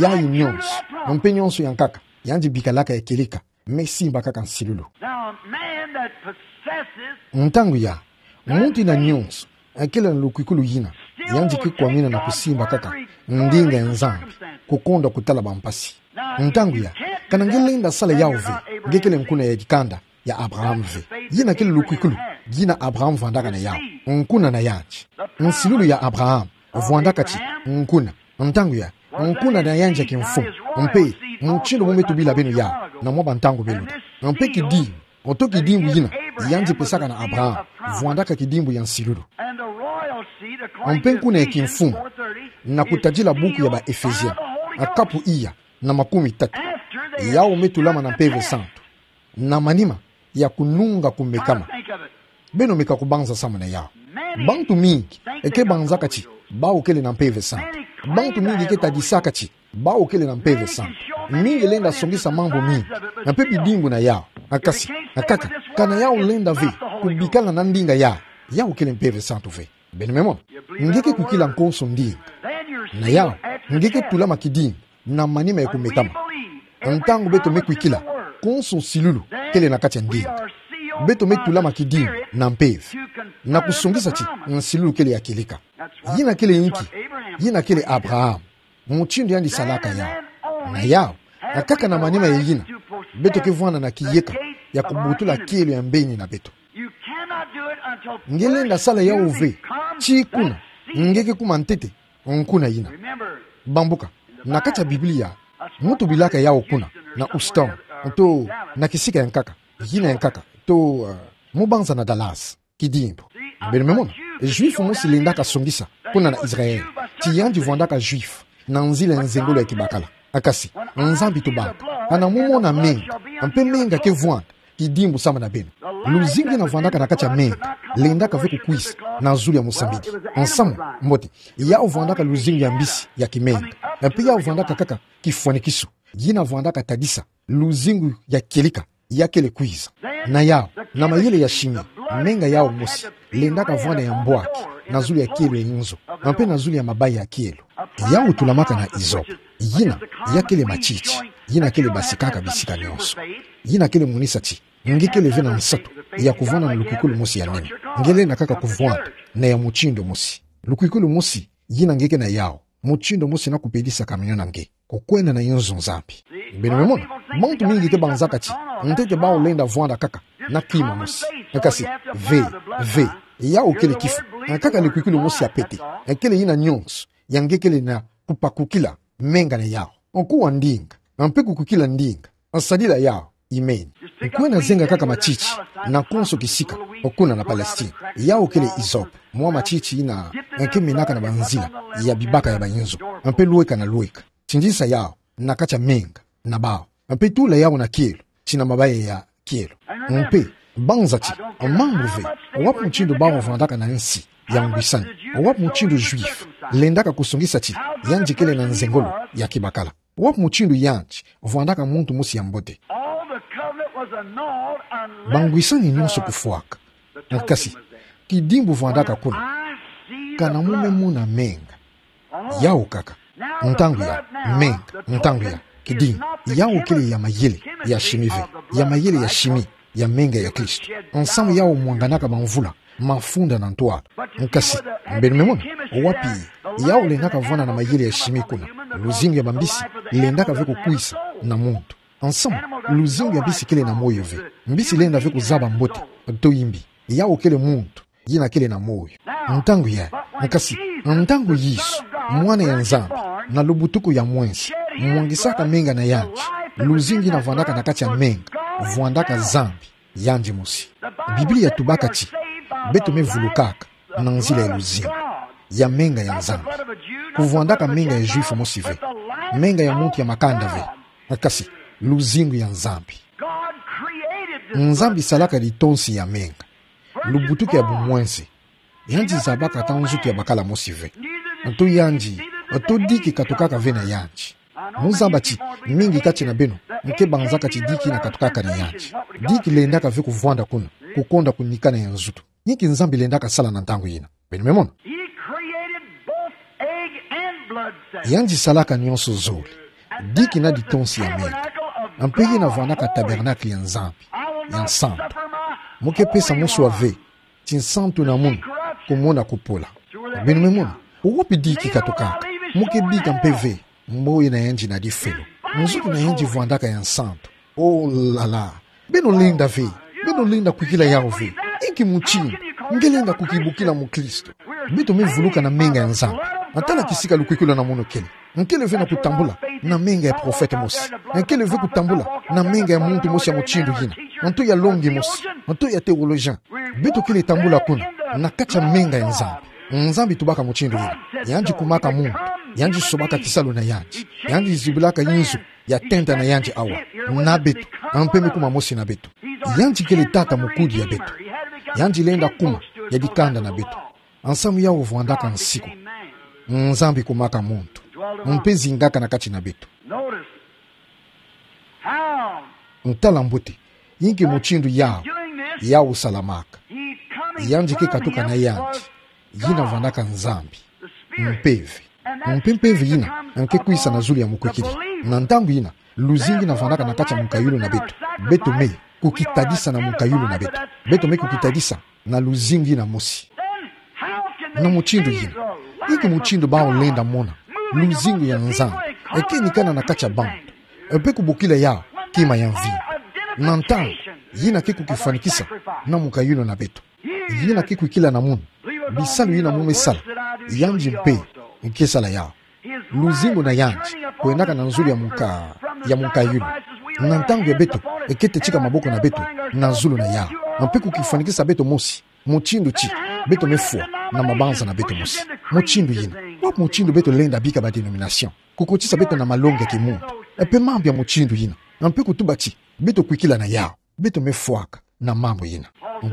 Yayi nionso, mpe nionso ya nkaka, yandi bikalaka ya kieleka, me simbakaka nsilulu. Now, a man that possesses Ntangu ya, muntu yina nionso akele na lukwikulu yina, yandi ke kwamina na kusimbakaka ndinga ya Nzambi, kukonda kutala bampasi. Ntangu ya, kana nge lenda sala yawu ve, nge kele nkuna ya dikanda ya Abraham ve. Yina kele lukwikulu yina Abraham vwandaka na yawu, nkuna na yandi. Nsilulu ya Abraham vwandaka ti nkuna. Ntangu ya, nkuna na yandi ya kimfumu, mpe mutindu mu me tubila beno yawu na mwa bantangu beluta. Mpe kidimbu, nto kidimbu yina yandi pesaka na Abraham, vwandaka kidimbu ya nsilulu. Mpe nkuna ya kimfumu, na kutadila buku ya ba Ephésiens, kapu iya na makumi tatu, yawu me tulama na Mpeve Santu na manima ya kununga kumekama. Beno meka kubanza nsamu na yawu. Bantu mingi ke banzaka ti bawu kele na Mpeve Santu. Bantu mingi ke tadisaka ti bawu kele na Mpeve Santu. Mingi lenda songisa mambu mingi, mpe bidimbu na yawu. Nkasi, nkaka, kana yawu lenda ve kubikala na ndinga yawu, yawu kele Mpeve Santu ve. Beno me mona. Nge ke kwikila nkonso ndinga. Na yawu, nge ke tulama kidimbu na manima ya kumekama. Ntangu beto me kwikila, konso nsilulu kele na kati ya ndinga. Beto me tulama kidimbu na mpeve, na kusongisa ti nsilulu kele ya kieleka. Yina kele inki? Yina kele Abraham, mutindu yandi salaka yawu. Na yawu, nkaka, na manima ya yina, beto ke vwanda na kiyeka ya kubutula kielo ya mbeni na beto. Nge lenda sala yawu ve tii kuna nge ke kuma ntete nkuna yina. Bambuka, na kati ya Biblia, mu tubilaka yawu kuna na Houston, nto na kisika ya nkaka, yina ya nkaka, nto, uh, mu banza na Dallas, kidimbu. Beno me mona, Juif mosi lendaka songisa kuna na Israël ti yandi vwandaka Juif na nzila ya nzengolo ya kibakala. Nkasi, Nzambi tubaka, kana mu mona menga, mpe menga ke vwanda kidimbu samu na beno. Luzingu yina vwandaka na kati ya menga lendaka ve kukwiza na zulu ya musambidi. Nsamu mbote, yawu vwandaka luzingu ya mbisi ya kimenga. Mpe yawu vwandaka kaka kifwanikiso yina vwandaka tadisa luzingu ya kieleka ya kele kwiza. Na yawu, na mayele ya chimie, menga yawu mosi lendaka vwanda ya mbwaki na zulu ya kielo ya inzo, mpe na zulu ya mabayi ya kielo. Yawu tulamaka na hysope, yina ya kele matiti, yina kele basikaka bisika nionso. Yina kele monisa ti nge kele ve na nsatu ya kuvwanda na lukwikulu mosi ya nene. Nge lenda kaka kuvwanda na ya mutindu mosi. Lukwikulu mosi yina nge ke na yawu, mutindu mosi na kupelisa kamino na nge kukwenda na inzo Nzambi. Beno me mona, bantu mingi ke banzaka ti ntete bawu lenda vwanda kaka na kima mosi. Kasi, ve, ve, yau kele kifo. Kaka lukwikwilu mosi ya pete. Kele yina nyonso, ya nge kele na kupakukila menga na yau. Nkuwa ndinga, mpe kukwikila ndinga, nsadila yau, imeni. Nkwenda zenga kaka matiti na konso kisika kuna na Palestine. Yau kele hyssop, mwa matiti yina nge menaka na banzila ya bibaka ya bayinzo, mpe lweka na lweka. Tindisa yau na kati ya menga na bau, mpe tula yau na kielo, tina mabaya ya kielo. Mpe banza ti, mambu ve wapi mutindu bau vwandaka na nsi ya ngwisani, wapi mutindu Juif lendaka kusongisa ti yandi kele na nzengolo ya kibakala, wapi mutindu yandi vwandaka muntu mosi ya mbote. Bangwisani nyonso kufwaka. Kasi, kidimbu vwandaka kuna. Kana mu me mona menga. Yau kaka. Ntangu ya menga, ntangu ya kidimbu. Yau kele ya mayele ya shimi ve, ya mayele ya shimi ya menga ya Kristo. Nsamu yau mwanganaka bamvula mafunda na ntwala. Kasi, beno me mona, wapi yau lendaka vwanda na mayele ya shimi kuna? Luzingu ya bambisi lendaka ve kukwisa na muntu. Nsamu, luzingu ya mbisi kele na moyo ve. Mbisi lenda ve kuzaba mbote to imbi. Yau kele muntu yina kele na moyo. Ntangu ya, kasi, ntangu Yesu, Mwana ya Nzambi, na lubutuku ya mwenze, mwangisaka menga na yandi, luzingu yina vwandaka na kati ya menga, vwandaka Nzambi yandi mosi. Biblia yatubaka ti beto me vulukaka na nzila ya luzingu ya menga ya Nzambi. Kuvwandaka menga ya Juif mosi ve, menga ya muntu ya makanda ve. Kasi, luzingu ya Nzambi. Nzambi salaka litonsi ya menga, lubutuku ya bumwenze. Yandi zabaka ata nzutu ya bakala mosi ve. Nto yandi, nto diki katukaka ve na yandi. Muzaba ti mingi kati na beno nke banzaka ti diki yina katukaka na yandi. Diki lendaka ve kuvwanda kuna, kukonda kunikana ya nzutu. Inki Nzambi lendaka sala na ntangu yina? Beno me mona. He created both egg and blood cells. Yandi salaka nyonso zole, diki na litonsi ya menga. Mpe yina vwandaka tabernacle ya Nzambi ya nsantu. Mu ke pesa muswa ve ti nsantu na munu kumona kupola. Beno me mona, wapi diki katukaka? Mu ke bika mpe ve mboyi na yandi na difelo. Nzutu na yandi vwandaka ya nsantu. Oh là là. Beno lenda ve, beno lenda kwikila yau ve. Inki mutindu nge lenda kukibukila mukristu? Beto me vuluka na menga ya Nzambi. Ata na kisika lukwikulu na munu kele, nkele ve na kutambula na menga ya prophète mosi. Nkele ve kutambula na menga ya muntu mosi ya mutindu yina, nto ya longi mosi, nto ya théologien. Beto kele tambula kuna na kati ya menga ya Nzambi. Nzambi tubaka mutindu yina. Yandi kumaka muntu, yandi sobaka kisalu na yandi, yandi zibilaka inzo ya tenta na yandi awa na beto, mpe me kuma mosi na beto. Yandi kele tata mukudi ya beto. Yandi lenda kuma ya dikanda na beto. Nsamu yau vwandaka nsiku, Nzambi kumaka muntu, mpe zingaka na kati na beto. Ntala mbote, inki mutindu yau, yau salamaka. Yandi ke katuka na yandi yina vwandaka Nzambi, Mpeve. Mpe Mpeve yina nke kwisa na zulu ya mukwikiri. Na ntangu yina, luzingu yina vwandaka na kati ya mukayulu na beto. Beto me kukitadisa na mukayulu na beto. Beto me kukitadisa na luzingu yina mosi. Na mutindu yina, inki mutindu bau lenda mona luzingu ya Nzambi eke nikana na kati ya bantu, mpe kubokila yau kima ya mvinyo? Na ntangu yina ke kukifwanikisa na mukayulu na beto. Yina ke kwikila na munu bisalu yina mu me sala, yandi mpe nke sala yau. Luzingu na yandi kwendaka na zulu ya muka, ya mukayulu. Na ntangu ya beto eke tetika maboko na beto na zulu na yau, mpe kukifwanikisa beto mosi, mutindu ti beto me fwa na mabanza na beto mosi. Mutindu yina, wapi mutindu beto lenda bika ba dénomination, kukotisa beto na malongi ya kimuntu, mpe mambu ya mutindu yina, mpe kutuba ti beto kwikila na yau? Beto me fwaka na mambu yina.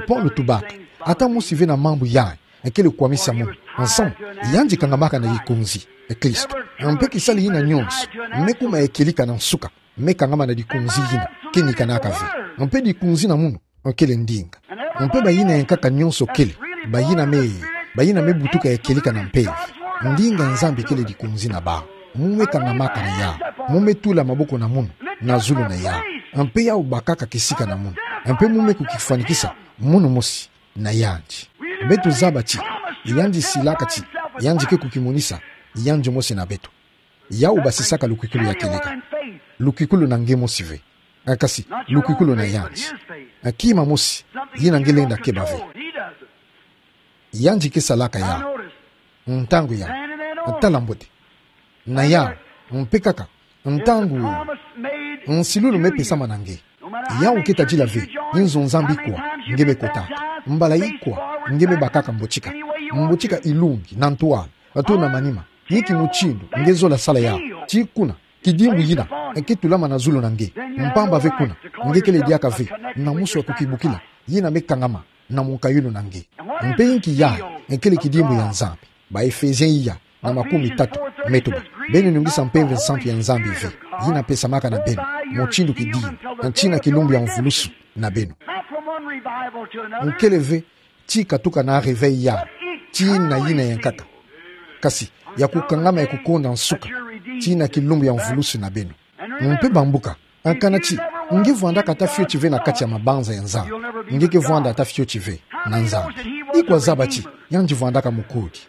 Paulo tubaka, ata mosi ve na mambu yayi ekele kwamisa munu, nsamu yandi kangamaka na dikunzi, e Kristo. Mpe kisalu yina nyonso me kuma ya kieleka na nsuka, me kangama na dikunzi yina ke nikanaka ve. Mpe dikunzi na munu kele ndinga. Mpe bayina yankaka nyonso kele bayina me, bayina me butuka ya kieleka na Mpeve. Ndinga Nzambi kele dikunzi na bau. Mu me kangamaka na yau, mu me tula maboko na munu na zulu na yau, mpe yau bakaka kisika na munu, mpe mu me kukifwanikisa munu mosi na yandi. Beto zaba ti yandi silaka ti yandi ke kukimonisa yandi mosi na beto. Yau basisaka lukwikulu ya kieleka, lukwikulu na nge mosi ve, kasi lukwikulu na yandi. Kima mosi yina nge lenda keba ve. Yandi ke salaka yawu. Ntangu yawu, tala mbote. Na yawu, mpe kaka, ntangu nsilulu mepesama na nge. Yawu ke tadila ve nzo Nzambi kwa nge mekotaka, mbala ikwa nge mebakaka mbotika, mbotika ilungi na ntwala, ato na manima, inki mutindu nge zola sala yawu. Ti kuna kidimbu yina ke tulama na zulu na nge. Mpamba ve kuna nge kele diaka ve na musu ya kukibukila yina mekangama na munkayulu na nge. Mpe inki yayi kele kidimbu ya Nzambi? Ba Efesien iya na makumi tatu, metuba: Beno nungisa mpeve nsantu ya Nzambi ve, yina pesamaka na beno mutindu kidimbu, ntina kilumbu ya mvulusu na beno. Nkele ve ti katuka na réveil yawu, tii na yina ya nkaka, kasi ya kukangama ya kukonda nsuka, tii na kilumbu ya mvulusu na beno. Mpe bambuka, kana ti nge vwandaka ata fioti ve na kati ya mabanza ya Nzambi, nge ke vwanda ata fioti ve na Nzambi. Ikwa zaba ti yandi vwandaka mukudi?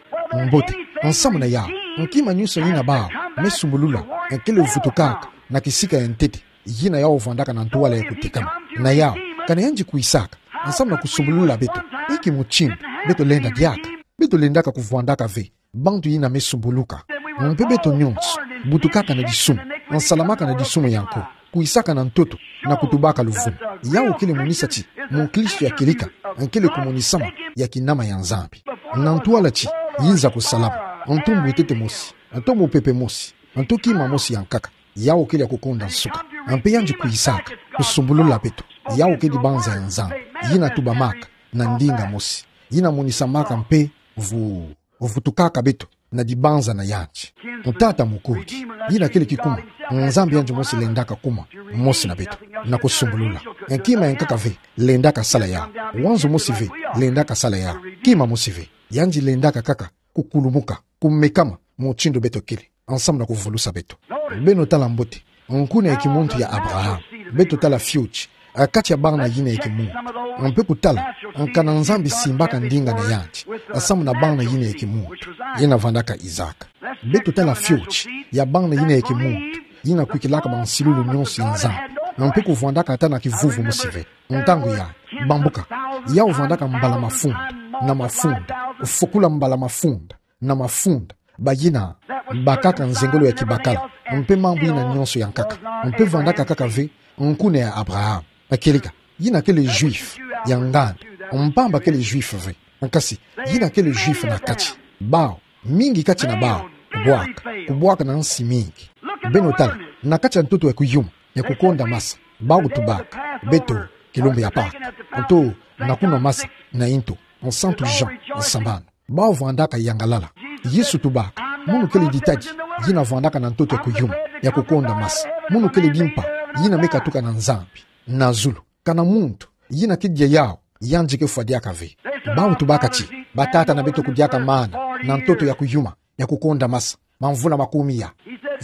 Mbote, nsamu na yawu, kima nionso yina bawu mesumbulula kele vutukaka na kisika ya ntete, yina yawu vwandaka na ntwala ya kutekama. Na yawu, kana yandi kwisaka nsamu na kusumbulula beto, inki mutindu beto lenda diaka? Beto lendaka kuvwandaka ve bantu yina mesumbuluka. Mpe beto nionso butukaka na disumu, nsalamaka na disumu ya nko, kwisaka na ntoto na kutubaka luvunu. Yawu kele monisa ti mukristu ya kieleka kele kumonisama ya kinama ya Nzambi. Na ntwala ti yiza kusalama, nto mbwetete mosi, nto mupepe mosi, nto kima mosi ya nkaka, yawu kele ya kukonda nsuka. Mpe yandi kwisaka kusumbulula beto. Yawu kele dibanza ya Nzambi yina tubamaka na ndinga mosi, yina monisamaka mpe vu vutukaka beto na dibanza na yandi. Tata mukudi, yina kele kikuma Nzambi yandi mosi lendaka kuma mosi na beto, na kusumbulula. Kima ya nkaka ve lendaka sala yawu. Wanzo mosi ve lendaka sala yawu. Kima mosi ve. Yandi lendaka kaka kukulumuka, kumekama mutindu beto kele, nsamu na kuvulusa beto. Beno tala mbote nkuna ya kimuntu ya Abraham. Beto tala fioti kati ya bana yina ya kimuntu, mpe kutala kana Nzambi simbaka ndinga na yandi nsamu na bana yina ya kimuntu, yina vwandaka Isaac. Beto tala fioti ya bana yina ya kimuntu yina kwikilaka bansilulu nionso ya Nzambi, mpe kuvwandaka ata na kivuvu mosi ve. Ntangu yayi, bambuka, yawu vwandaka mbala mafunda na mafunda, fukula mbala mafunda na mafunda bayina bakaka nzengolo ya kibakala mpe mambu yina nionso ya nkaka. Mpe vwandaka kaka ve nkuna ya Abraham, kieleka yina kele juif ya nganda, mpamba kele juif ve, kasi yina kele juif na kati. Bawu, mingi kati na bawu kubwaka, kubwaka na nsi mingi. Beno tala, na kati ya ntoto ya kuyuma, ya kukonda masa, bawu tubaka: Beto kilumbu ya Pâques, nto na kunwa masa na intu, Santu Jean, sambanu. Bawu vwandaka yangalala. Yesu tubaka: Munu kele ditadi yina vwandaka na ntoto ya kuyuma, ya kukonda masa. Munu kele dimpa yina mekatuka na Nzambi na zulu. Kana muntu yina kedia yawu, yandi kefwa diaka ve. Bawu tubaka ti batata na beto kudiaka mana na ntoto ya kuyuma, ya kukonda masa, mamvula makumi ya.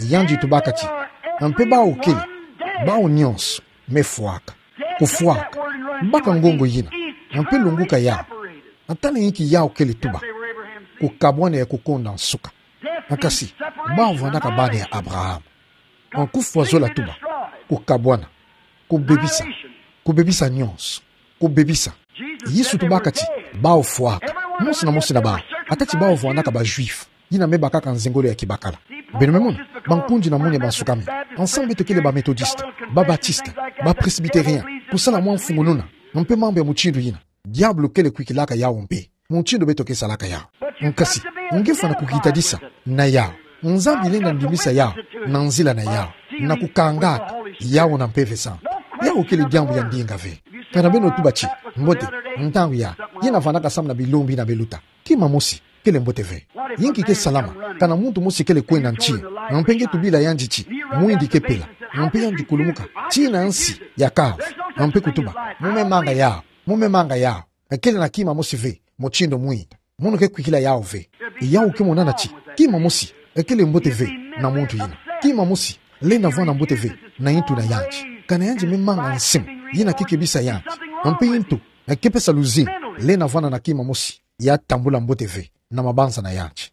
Yandi tubaka ti: Mpe bawu kele, bawu nionso mefwaka. Kufwaka, baka ngongo yina, mpe lunguka yawu. Tala inki yawu kele tuba: kukabwana ya kukonda nsuka. Kasi bawu vwandaka bana ya Abraham. Kufwa zola tuba: kukabwana, kubebisa, kubebisa nionso, kubebisa. Yesu tubaka ti bawu fwaka, mosi na mosi na bawu. Ata ti bawu vwandaka ba juif yina mebakaka nzengolo ya kibakala. Beno me mona, bankundi na munu ya bansukami. Ensemble beto kele ba Methodiste, ba Batiste, ba Presbytérien, kusala mwa mfungununa, mpe mambu ya mutindu yina. Diabulu kele kwikilaka yawu mpe mutindu beto kesalaka yawu. Kasi nge fwana kukitadisa na yawu. Nzambi lenda ndimbisa yawu na nzila na yawu, na kukangaka yawu na Mpeve Santu. Yawu kele diambu ya ndinga ve. Kana beno tuba ti: Mbote, ntangu yayi, yina vwandaka samu na bilumbu yina beluta. Kima mosi kele mbote ve. Inki kesalama kana muntu mosi kele kwenda nti, mpe nge tubila yandi ti mwindi kepela, mpe yandi kulumuka tii na nsi ya kavu, mpe kutuba: Mu me manga yawu, mu me manga yawu. Kele na kima mosi ve mutindu mwinda. Munu kekwikila yawu ve. Yawu kemonana ti kima mosi kele mbote ve na muntu yina. Kima mosi lenda vwanda mbote ve na intu na yandi. Kana yandi me manga nsimu yina kekebisa yandi, mpe intu kepesa luzingu, lenda vwanda na kima mosi ya tambula mbote ve na mabanza na yandi.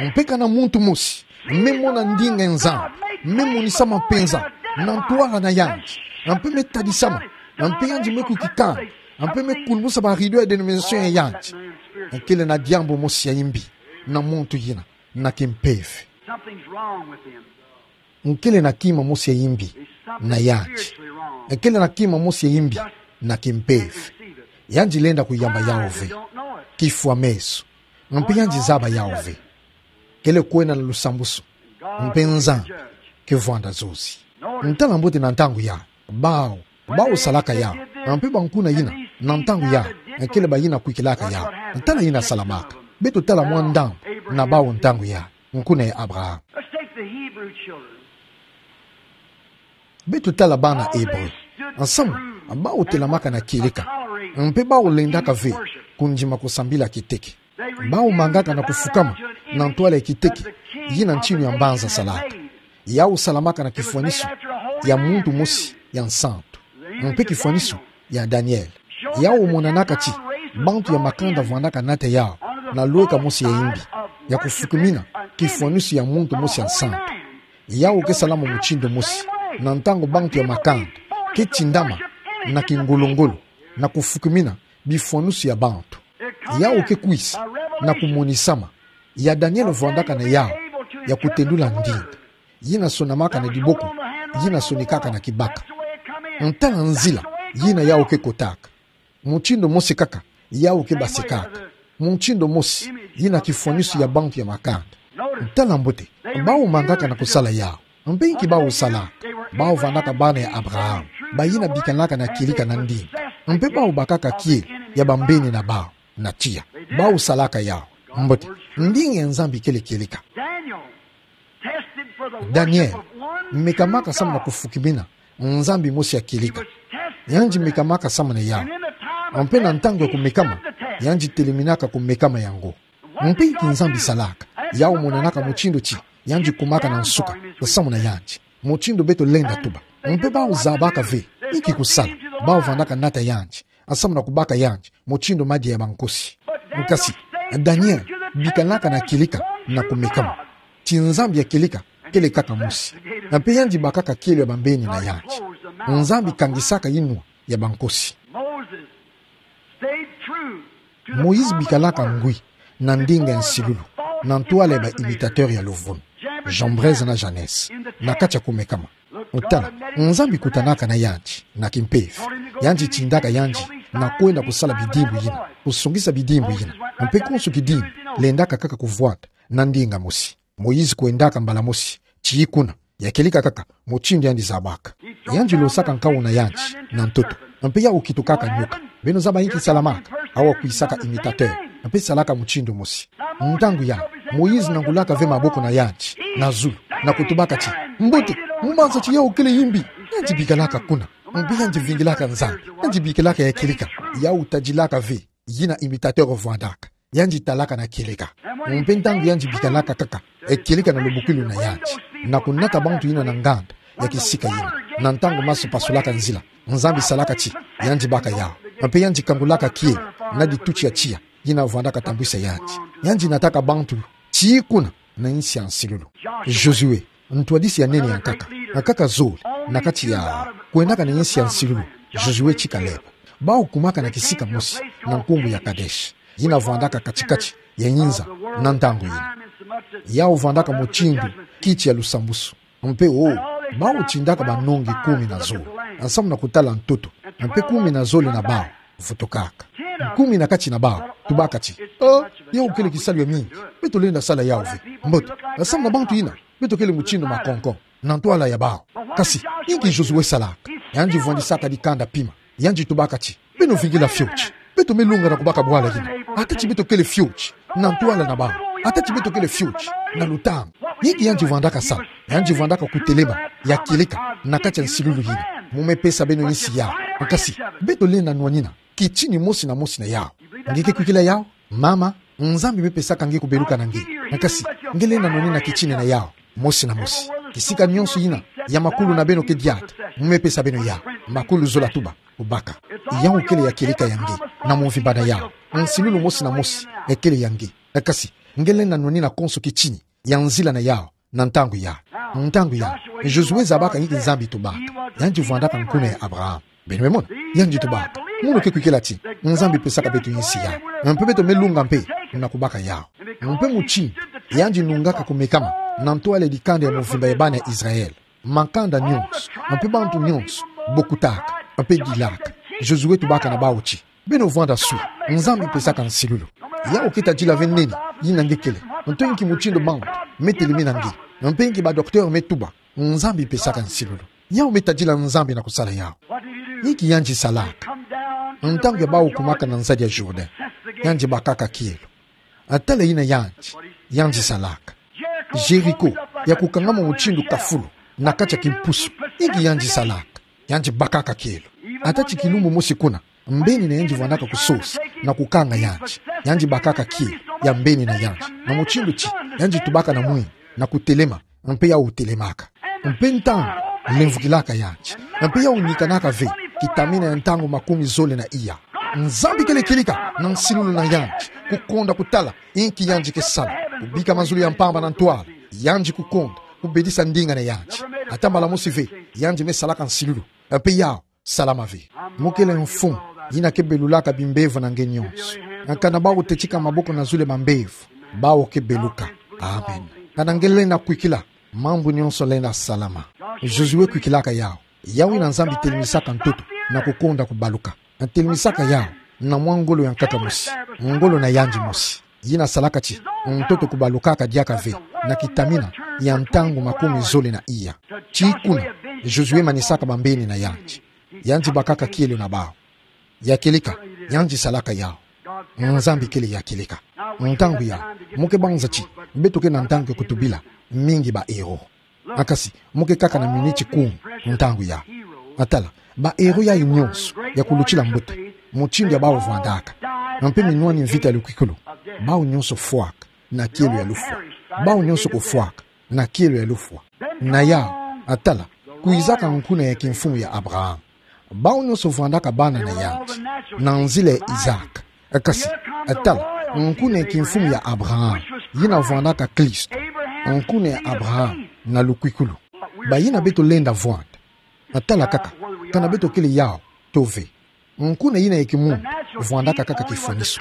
Mpe kana muntu mosi me mona ndinga ya Nzambi, me monisama mpenza na ntwala na yandi, mpe me tadisama Mpe yandi me kukikana. Mpe me kulumusa ba rideau ya dénomination ya yandi. Nkele na diambu mosi ya imbi na muntu yina, na kimpeve. Something's wrong with him. Nkele na kima mosi ya imbi na yandi. Nkele na kima mosi ya imbi na kimpeve. Yandi lenda kuyamba yawu ve. Kifwa meso. Mpe yandi zaba yawu ve. Kele kwenda na lusambusu. Mpe Nzambi kevwanda zozi. Ntala mbote na ntangu ya. Bawu, bawu salaka yawu. Mpe bankuna yina, na ntangu ya. Kele bayina kwikilaka yawu. Ntala yina salamaka. Beto tala mwa ndambu na bawu ntangu ya. Nkuna ya Abraham. Let's take the Hebrew children. Beto tala bana Hebreu. Nsamu, bawu telamaka na kieleka. Mpe bawu lendaka ve kundima kusambila kiteke. Bawu mangaka na kufukama na ntwala ya kiteke, yina ntinu ya mbanza salaka. Yawu salamaka na kifwaniso ya muntu mosi ya nsantu. Mpe kifwaniso ya Daniel. Yawu monanaka ti bantu ya makanda vwandaka nata yawu na lweka mosi ya imbi, ya kufukimina kifwaniso ya muntu mosi ya nsantu. Yawu ke salama mutindu mosi, na ntangu bantu ya makanda ke tindama na kingolongolo na kufukimina bifwaniso ya bantu. Yawu ke kwisa na kumonisama. Ya Daniel vwandaka na yawu ya kutendula ndinga yina sonamaka na diboko, yina sonikaka na kibaka. Ntala nzila yina yawu ke kotaka. Mutindu mosi kaka yawu ke basikaka. Mutindu mosi, yina kifwaniso ya bantu ya makanda. Ntala mbote, bawu mangaka na kusala yawu. Mpe inki bawu salaka? Bawu vwandaka bana ya Abraham, bayina bikanaka na kieleka na ndinga. Mpe bawu bakaka kielo ya bambeni na bawu na tiya. Bawu salaka yawu. Mbote, ndinga ya Nzambi kele kieleka. Daniel, mekamaka samu na kufukimina nzambi mosi ya kieleka. Yandi mekamaka samu na yawu. Mpe na ntangu ya kumekama, yandi teleminaka kumekama yango. Mpe inki Nzambi salaka? Yawu monanaka mutindu ti yandi kumaka na nsuka samu na yandi. Mutindu beto lenda tuba. Mpe bawu zabaka ve inki kusala. Bawu vwandaka nata yandi, samu na kubaka yandi mutindu madia ya bankosi. Kasi Daniel bikanaka na kieleka na kumekama ti Nzambi ya kieleka kele kaka mosi. Mpe yandi bakaka kielo ya bambeni na yandi. Nzambi kangisaka inwa ya bankosi. Moïse bikalaka ngwi na ndinga ya nsilulu, na ntwala ya ba imitateur ya luvunu, Jambres na Jannes, na kati ya kumekama. Tala, Nzambi kutanaka na yandi na kimpeve. Yandi tindaka yandi na kwenda kusala bidimbu yina, kusongisa bidimbu yina. Mpe konso kidimbu lendaka kaka kuvwanda na ndinga mosi. Moïse kwendaka mbala mosi tii kuna, ya kieleka kaka mutindu yandi zabaka. Yandi losaka nkawuna yandi na ntoto, mpe yawu kitukaka nyoka. Beno zaba inki salamaka? Awa kwisaka imitateur, mpe salaka mutindu mosi. Ntangu yandi, Moïse nangulaka ve maboko na yandi na zulu, na kutubaka ti: Mbote, mumanza ti yawu kele imbi. Yandi bikalaka kuna, mpe yandi vingilaka Nzambi. Yandi bikalaka ya kieleka. Yawu tadilaka ve yina imitateur vwandaka. Yandi talaka na kieleka. Mpe ntangu yandi bikanaka kaka ya kieleka na lubukulu na yandi, na kunata bantu yina na nganda ya kisika yina, na ntangu maso pasulaka nzila, Nzambi salaka ti yandi baka yawu. Mpe yandi kangulaka kielo na dituti ya tiya yina vwandaka tambwisa yandi. Yandi nataka bantu tii kuna na insi ya nsilulu. Josué, ntwadisi ya nene ya nkaka, nkaka zole na kati ya kwendaka na insi ya nsilulu, Josué ti Caleb, bawu kumaka na kisika mosi na nkumbu ya Kadesh, yina vwandaka kati-kati ya inza na ntangu yina. Yawu vwandaka mutindu kiti ya lusambusu. Mpe o, bawu tindaka banongi kumi na zole, samu na kutala ntoto, mpe kumi na zole na bawu vutukaka. Kumi na kati na bawu tubaka ti: Oh, yawu kele kisalu ya mingi. Beto lenda sala yawu ve. Mbote, samu na bantu yina, beto kele mutindu makonkon na ntwala ya bawu. Kasi inki Josué salaka? Yandi vwandisaka dikanda pima. Yandi tubaka ti: Beno vingila fioti. Beto me longa na kubaka bwala yina. Ata ti beto kele fioti na ntwala na bawu, ata ti beto kele fioti na lutambu, inki yandi vwandaka sala? Yandi vwandaka kutelema ya kieleka na kati ya nsilulu yina. Mu me pesa beno insi yawu. Kasi beto lenda nwanina kitini mosi na mosi na yawu. Nge ke kwikila yawu? Mama, Nzambi me pesaka nge kubeluka na nge. Kasi nge lenda nwanina kitini na yawu mosi na mosi. Kisika nyonso yina ya makulu na beno ke diata, mu me pesa beno yawu. Makulu zola tuba, kubaka. Yawu kele ya kieleka ya nge na mvimba na yawu. Nsilulu mosi na mosi ekele ya nge. Kasi nge lenda nwanina konso kitini ya nzila na yawu na ntangu yawu. Ntangu yawu, Josué zabaka inki Nzambi tubaka. Yandi vwandaka nkuna ya Abraham. Beno me mona, yandi tubaka. Mono ke kwikila ti Nzambi pesaka beto insi ya. Mpe beto me lunga mpe na kubaka yau. Mpe mutindu yandi nungaka kumekama na ntwala dikanda ya mvimba ya bana Israel, makanda nyonso, mpe bantu nyonso bokutaka, mpe dilaka, Josué tubaka na bawu ti: Beno vwanda swi, Nzambi pesaka nsilulu. Yau ke tadila ve nini yina nge kele, nto inki mutindu bantu me telemina nge, mpe inki ba docteur me tuba, Nzambi pesaka nsilulu. Yau me tadila Nzambi na kusala yau. Inki yandi salaka? Ntangu ya bawu kumaka na nzadi ya Jourdain, yandi bakaka kielo. Tala yina yandi, yandi salaka. Jéricho, ya kukangama mutindu kafulu na kati ya kimpusu, inki yandi salaka? Yandi bakaka kielo. Ata ti kilumbu mosi kuna, mbeni na yandi vwandaka kusosa na kukanga yandi, yandi bakaka kielo ya mbeni na yandi, na mutindu ti yandi tubaka na mwini na kutelema, mpe yau telemaka. Mpe ntangu lemvukilaka yandi, mpe yau nikanaka ve kitamina ya ntangu makumi zole na iya, Nzambi kele kilika na nsilulu na yandi, kukonda kutala inki yandi ke sala, kubika mazulu ya mpamba na ntwala. Yandi kukonda kubedisa ndinga na yandi. Ata mbala mosi ve, yandi me salaka nsilulu. Mpe yau salama ve. Mo kele mfumu yina ke belulaka bimbevo na nge nyonso. Kana bawu tetika maboko na zulu ya bambevo, bawu ke beluka. Amen. Kana nge lenda kwikila, mambu nyonso lenda salama. Josué kwikilaka yau. Yau ina Nzambi telemisaka ntoto na kukonda kubaluka. Telemisaka yau na mwa ngolo ya nkaka mosi, ngolo na yandi mosi, yina salaka ti ntoto kubalukaka diaka ve na kitamina ya ntangu makumi zole na iya. Ti kuna Josué manisaka bambeni na yandi. Yandi bakaka kielo na bawu. Ya kieleka, yandi salaka yau. Nzambi kele ya kieleka. Ntangu ya, mo ke banza ti beto ke na ntangu ya kutubila mingi ba héros. Kasi mo ke kaka na miniti kumi ntangu ya. Tala, ba héros yayi nyonso ya kulutila mbuta, mutindu ya bawu vwandaka, mpe minwani mvita ya lukwikulu, bawu nyonso fwaka na kielo ya lufwa. Bawu nyonso kufwaka na kielo ya lufwa. Na yau, tala, kwizaka nkuna ya kimfumu ya Abraham. Bawu nyonso vwandaka bana na yandi na nzila ya Isaac. Kasi, tala, nkuna ya kimfumu ya Abraham, yina vwandaka Kristo, nkuna ya Abraham na lukwikulu. Bayina beto lenda vwanda. Tala kaka, kana beto kele yau to ve. Nkuna yina ya kimuntu vwandaka kaka kifwaniso.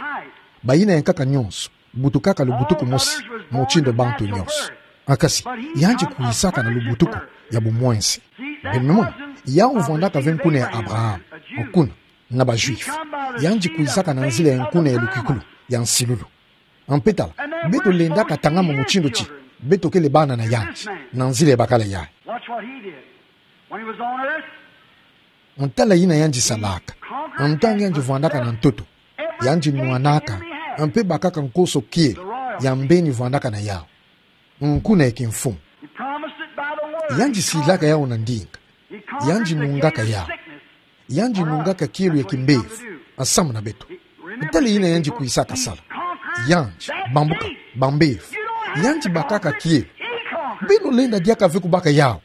Bayina ya nkaka nyonso butukaka lubutuku mosi, mutindu bantu nyonso. Kasi, yandi kwizaka na lubutuku ya bumwenzi. Beno me mona, yau vwandaka ve nkuna ya Abraham, nkuna na ba Juifs. Yandi kwizaka na nzila ya nkuna ya lukwikulu ya nsilulu. Mpe tala, beto lendaka tangama mutindu ti beto kele bana na yandi na nzila ya bakala yayi. Watch what he did when he was on earth. Tala yina yandi salaka. Ntangu yandi vwandaka na ntoto, yandi nwanaka mpe bakaka nkoso kielo ya mbeni vwandaka na yau, nkuna ya kimfumu. He promised it by the word. Yandi silaka yau na ndinga. He conquered the gate of sickness. Yandi nungaka yau. Yandi nungaka kielo ya kimbevo, nsamu na beto. Tala yina yandi kwisaka sala. Yandi bambuka bambevo. Yandi bakaka kielo. Beno lenda diaka ve kubaka yau.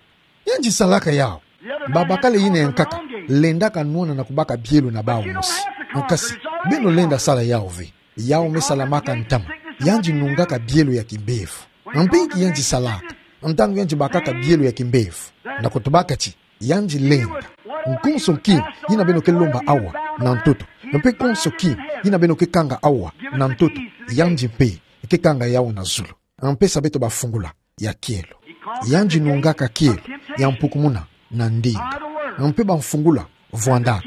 Yandi salaka yau. Babakala yina ya nkaka lendaka nwana na kubaka bielo na bawu mosi. Kasi, beno lenda sala yau ve. Yau me salamaka ntama. Yandi nungaka bielo ya kimbevo. Mpe inki yandi salaka ntangu yandi bakaka bielo ya kimbevo? Na kutubaka ti yandi lenda, nkonso nki yina beno ke lomba awa na ntoto, mpe nkonso nki yina beno ke kanga awa na ntoto, yandi mpe ke kanga yau na zulu. Mpe sa beto bafungula ya kielo. Yandi nungaka kielo ya mpukumuna na ndinga. Mpe bamfungula vwandaka,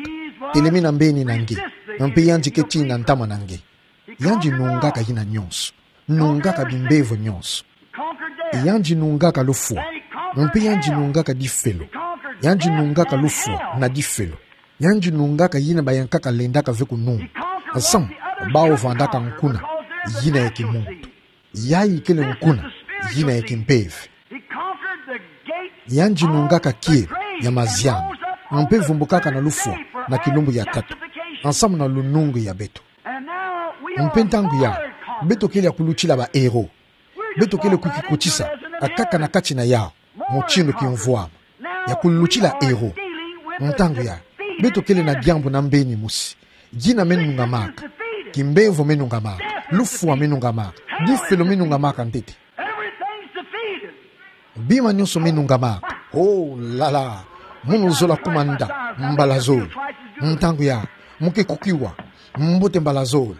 telemena mbeni na nge, mpe yandi ke tina ntama na nge. Yandi nungaka yina nyonso. Nungaka bimbevo nyonso. Yandi nungaka lufwa. Mpe yandi nungaka difelo. Yandi nungaka lufwa na difelo. Yandi nungaka yina bayankaka lendaka ve kununga. Nsamu bawu vwandaka nkuna yina ya kimuntu. Yayi kele nkuna yina ya kimpeve. Yandi nungaka kielo ya mazianu, mpe vumbukaka na lufwa na kilumbu ya tatu, nsamu na lunungu ya beto. Mpe ntangu yayi, beto kele ya kulutila ba héros. Beto kele kukikutisa, kaka na kati na yau, mutindu kimvwama, ya kulutila héros. Ntangu yayi, beto kele na diambu na mbeni mosi. Yina me nungamaka. Kimbevo me nungamaka. Lufwa me nungamaka. Difelo me nungamaka ntete. Bima nyonso me nungamaka. Oh, la, la. Mono zola kumanda mbala zole. Ntangu ya, muke kukiwa mbote mbala zole.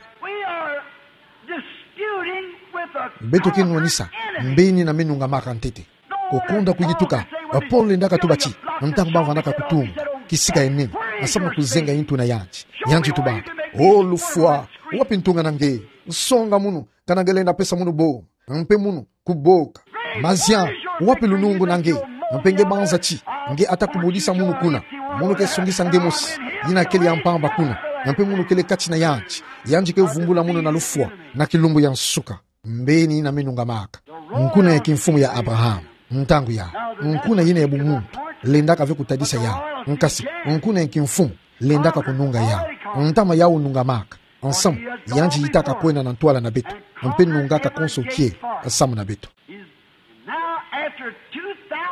Beto ke nwanisa mbeni na me nungamaka ntete. Kokonda kuyituka, Paulo lendaka tuba ti, ntangu bavandaka kutunga kisika ya nene, nsamu na kuzenga yintu na yandi, yandi tubaka: O lufwa, wapi ntunga na nge? Songa mono, kana nge lenda pesa mono boma, mpe mono kuboka. Maziami, wapi lunungu na nge? Mpe nge banza ti nge ata kubudisa mono kuna. Mono ke songisa nge mosi yina kele ya mpamba kuna, mpe mono kele kati na yandi. Yandi ke vumbula mono na lufwa na kilumbu ya nsuka. Mbeni na me nungamaka. Nkuna ya kimfumu ya Abraham. Ntangu ya, nkuna yina ya bumuntu lendaka ve kutadisa yau. Nkasi, nkuna ya kimfumu lendaka kununga yau. Ntama yau nungamaka, nsamu yandi yitaka kwenda na ntwala na beto, mpe nungaka konso kielo nsamu na beto.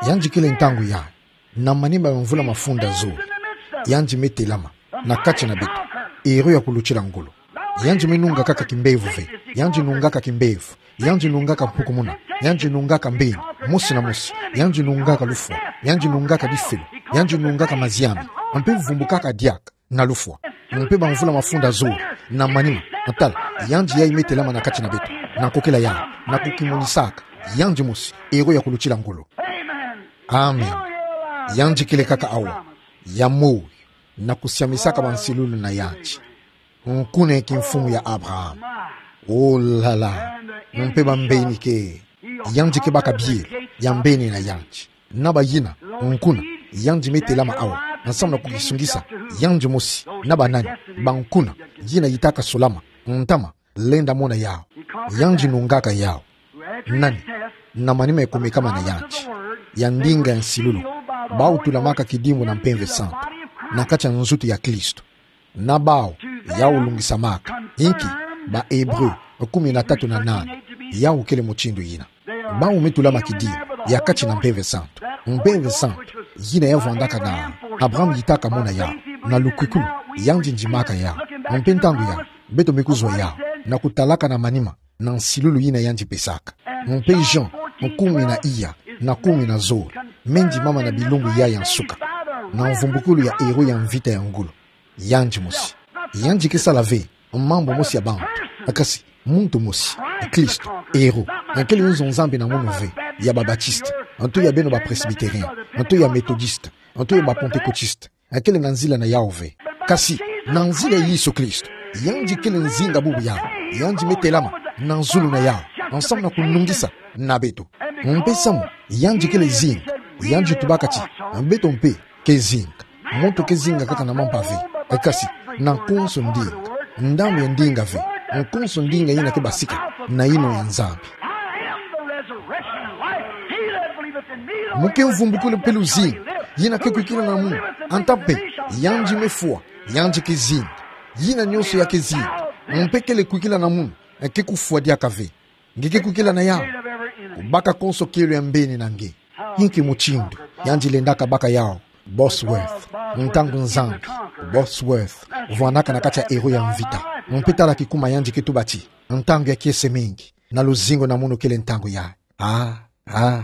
Yandi kele ntangu ya, na manima ya mvula mafunda zole, yandi me telama na kati na beto, ero ya kulutila ngolo. Yandi me nunga kaka kimbevo ve, yandi nungaka kimbevo, yandi nungaka mpukumuna, yandi nungaka mbeni mosi na mosi, yandi nungaka lufwa, yandi nungaka bifelo, yandi nungaka maziami, mpe vumbukaka diaka na lufwa. Mpe bamvula mafunda zole, na manima, tala, yandi yayi me telama na kati na beto, na kokela yandi, na kukimonisaka yandi mosi ero ya kulutila ngolo. Amen. Yandi kele kaka awa, ya moyo, na kusiamisaka bansilulu na yandi. Nkuna ya kimfumu ya Abraham. Oh là là. Mpe bambeni ke, yandi ke baka bielo ya mbeni na yandi. Na bayina nkuna, yandi me telama awa, nsamu na kukisungisa yandi mosi na banani, bankuna yina yitaka solama, ntama lenda mona yau. Yandi nungaka yau. Nani, na manima ya kumekama na yandi, ya ndinga ya nsilulu, bau tulamaka kidimbu na Mpeve Santu na kati ya nzutu ya Kristo. Na bau yau lungisamaka, inki ba Ebre kumi na tatu na nane, yau kele mutindu yina. Bau me tulama kidimbu ya kati na Mpeve Santu. Mpeve Santu yina ya vandaka na Abraham yitaka mona yau, na lukwikulu yandi ndimaka yau. Mpe ntangu ya, beto me kuzwa yau na kutalaka na manima na nsilulu yina yandi pesaka. Mpe Jean kumi na iya na kumi na zole, me ndimama na bilumbu ya ya nsuka, na mvumbukulu ya ero ya mvita ya ngolo. Yandi mosi. Yandi ke sala ve mambu mosi ya bantu. Kasi, muntu mosi, Kristo, ero, akele nzo Nzambi na munu ve ya ba Baptiste, nto ya beno ba Presbytérien, nto ya Méthodiste, nto ya ba Pentecôtiste. Akele na nzila na yau ve. Kasi, na nzila ya Yesu Kristo, yandi kele nzinga bubu yau, yandi me telama na zulu na yau, nsamu na kunungisa na beto. Mpe samu yandi kele zinga, yandi tubaka ti, beto mpe ke zinga. Muntu ke zinga kaka na mampa ve, kasi na konso ndinga. Ndambu ya ndinga ve, konso ndinga yina ke basika na yinwa ya Nzambi. Muke mvumbukulu mpe luzingu, yina ke kwikila na munu, anta mpe, yandi me fwa, yandi ke zinga. Yina nyonso ya ke zinga, mpe kele kwikila na munu, ke kufwa diaka ve. Nge ke kwikila na yau, kubaka konso kielo ya mbeni na nge. Inki mutindu yandi lendaka baka yau Bosworth, ntangu Nzambi Bosworth vandaka na kati ya ero ya mvita. Mpe tala kikuma yandi ke tuba ti, ntangu ya kiese mingi, na luzingu na munu kele ntangu ya. Ah, ah.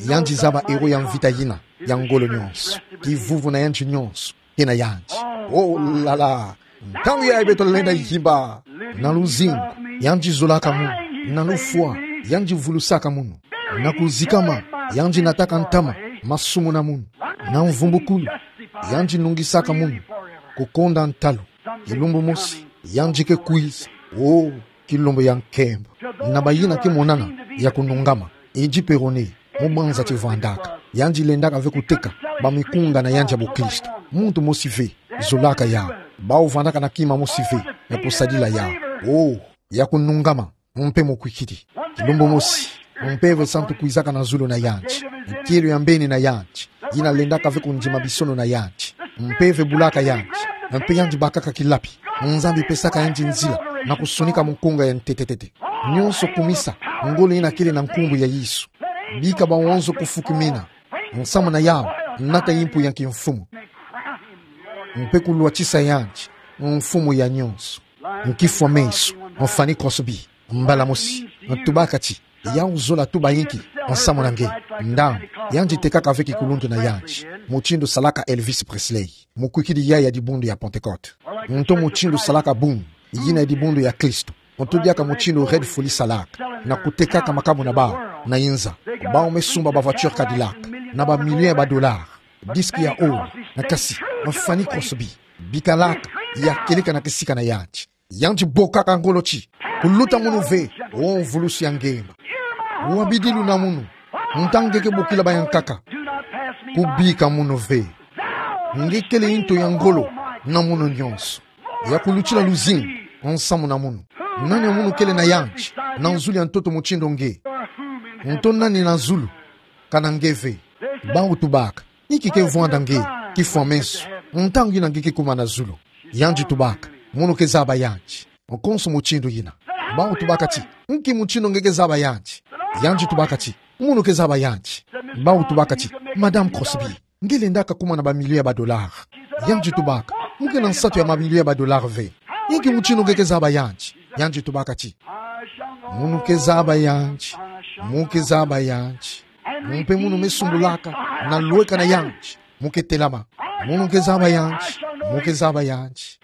Yandi zaba ero ya mvita yina ya ngolo nyonso, kivuvu na yandi nyonso ke na yandi. Oh là là. Ntangu yayi beto lenda yimba. Na luzingu, yandi zolaka munu. Na lufwa, yandi vulusaka munu. Na kuzikama, yandi nataka ntama masumu na munu. Na mvumbukulu, yandi nungisaka munu kukonda ntalu. Kilumbu mosi, yandi ke kwiza. Oh, kilumbu ya nkembo. Na bayina ke monana ya kunungama, idi perone, mu banza ti vandaka, yandi lendaka ve kuteka bamikunga na yandi ya bukristo. Muntu mosi ve zolaka yau. Bau vandaka na kima mosi ve ya kusadila yau. Oh, ya kunungama mpe mukwikiri. Kilumbu mosi, Mpeve Santu kwizaka na zulu na yandi. Kielo ya mbeni na yandi, yina lendaka ve kundima bisono na yandi. Mpeve bulaka yandi, mpe yandi bakaka kilapi. Nzambi pesaka yandi nzila na kusonika mukunga ya ntetetete. Nyonso kumisa ngolo yina kele na nkumbu ya Yesu. Bika bawonso kufukimina nsamu na yau, nata yimpu ya kimfumu, mpe kulwatisa yandi mfumu ya nyonso. Nkifwa meso, mfani Crosby, mbala mosi, ntubaka ti, yau zola tuba inki Nsamu na nge, nda, yandi tekaka ve kikuluntu na yandi, mutindu salaka Elvis Presley, mukwikidi yayi ya dibundu ya Pentecôte. Nto mutindu salaka bun, yina ya dibundu ya Kristo. Nto diaka mutindu Red Folly salaka, na kutekaka makabu na bau, na inza. Bau me sumba ba voiture Cadillac, na ba million ya ba dollar, disque ya or, na kasi, ma Fanny Crosby, bikalaka, ya kieleka na kisika na yandi. Yandi bokaka ngolo ti, kuluta munu ve, o mvulusi ya ngema. Wabidilu na munu, ntangu nge ke bokila bayankaka. Kubika munu ve. Nge kele nto ya ngolo, na munu nyonso. Ya kulutila luzingu, nsamu na munu. Nani ya munu kele na yandi, na nzulu ya ntoto mutindu nge. Nto nani na zulu, kana nge ve. Bau tubaka, inki ke vwanda nge, kifwa meso, ntangu yina nge ke kuma na zulu. Yandi tubaka, munu ke zaba yandi. Nkonso mutindu yina. Bau tubaka ti, inki mutindu nge ke zaba yandi. Yandi tubaka ti, munu ke zaba yandi. Bau tubaka ti, Madame Crosby, nge lendaka kuma na ba million ya ba dollar. Yandi tubaka, mu ke na nsatu ya ba million ya ba dollar ve. Inki mutindu nge ke zaba yandi. Yandi tubaka ti, munu ke zaba yandi, mu ke zaba yandi. Mpe munu me sumbulaka, na lweka na yandi, mu ke telama. Munu ke zaba yandi, mu ke zaba yandi.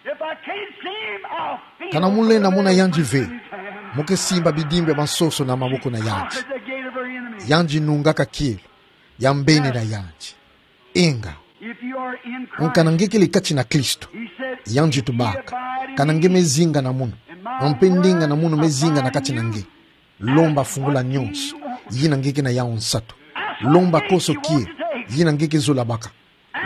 Kana mu lenda mona yandi ve, mu ke simba bidimbu ya ba nsoso na maboko na yandi. Yandi nungaka kielo, ya mbeni na yandi. Inga. Kana nge kele kati na Kristo. Yandi tubaka, kana nge me zinga na munu, mpe ndinga na munu me zinga na kati na nge. Lomba fungula nyonso, yina nge ke na yau nsatu. Lomba konso kielo, yina nge ke zola baka.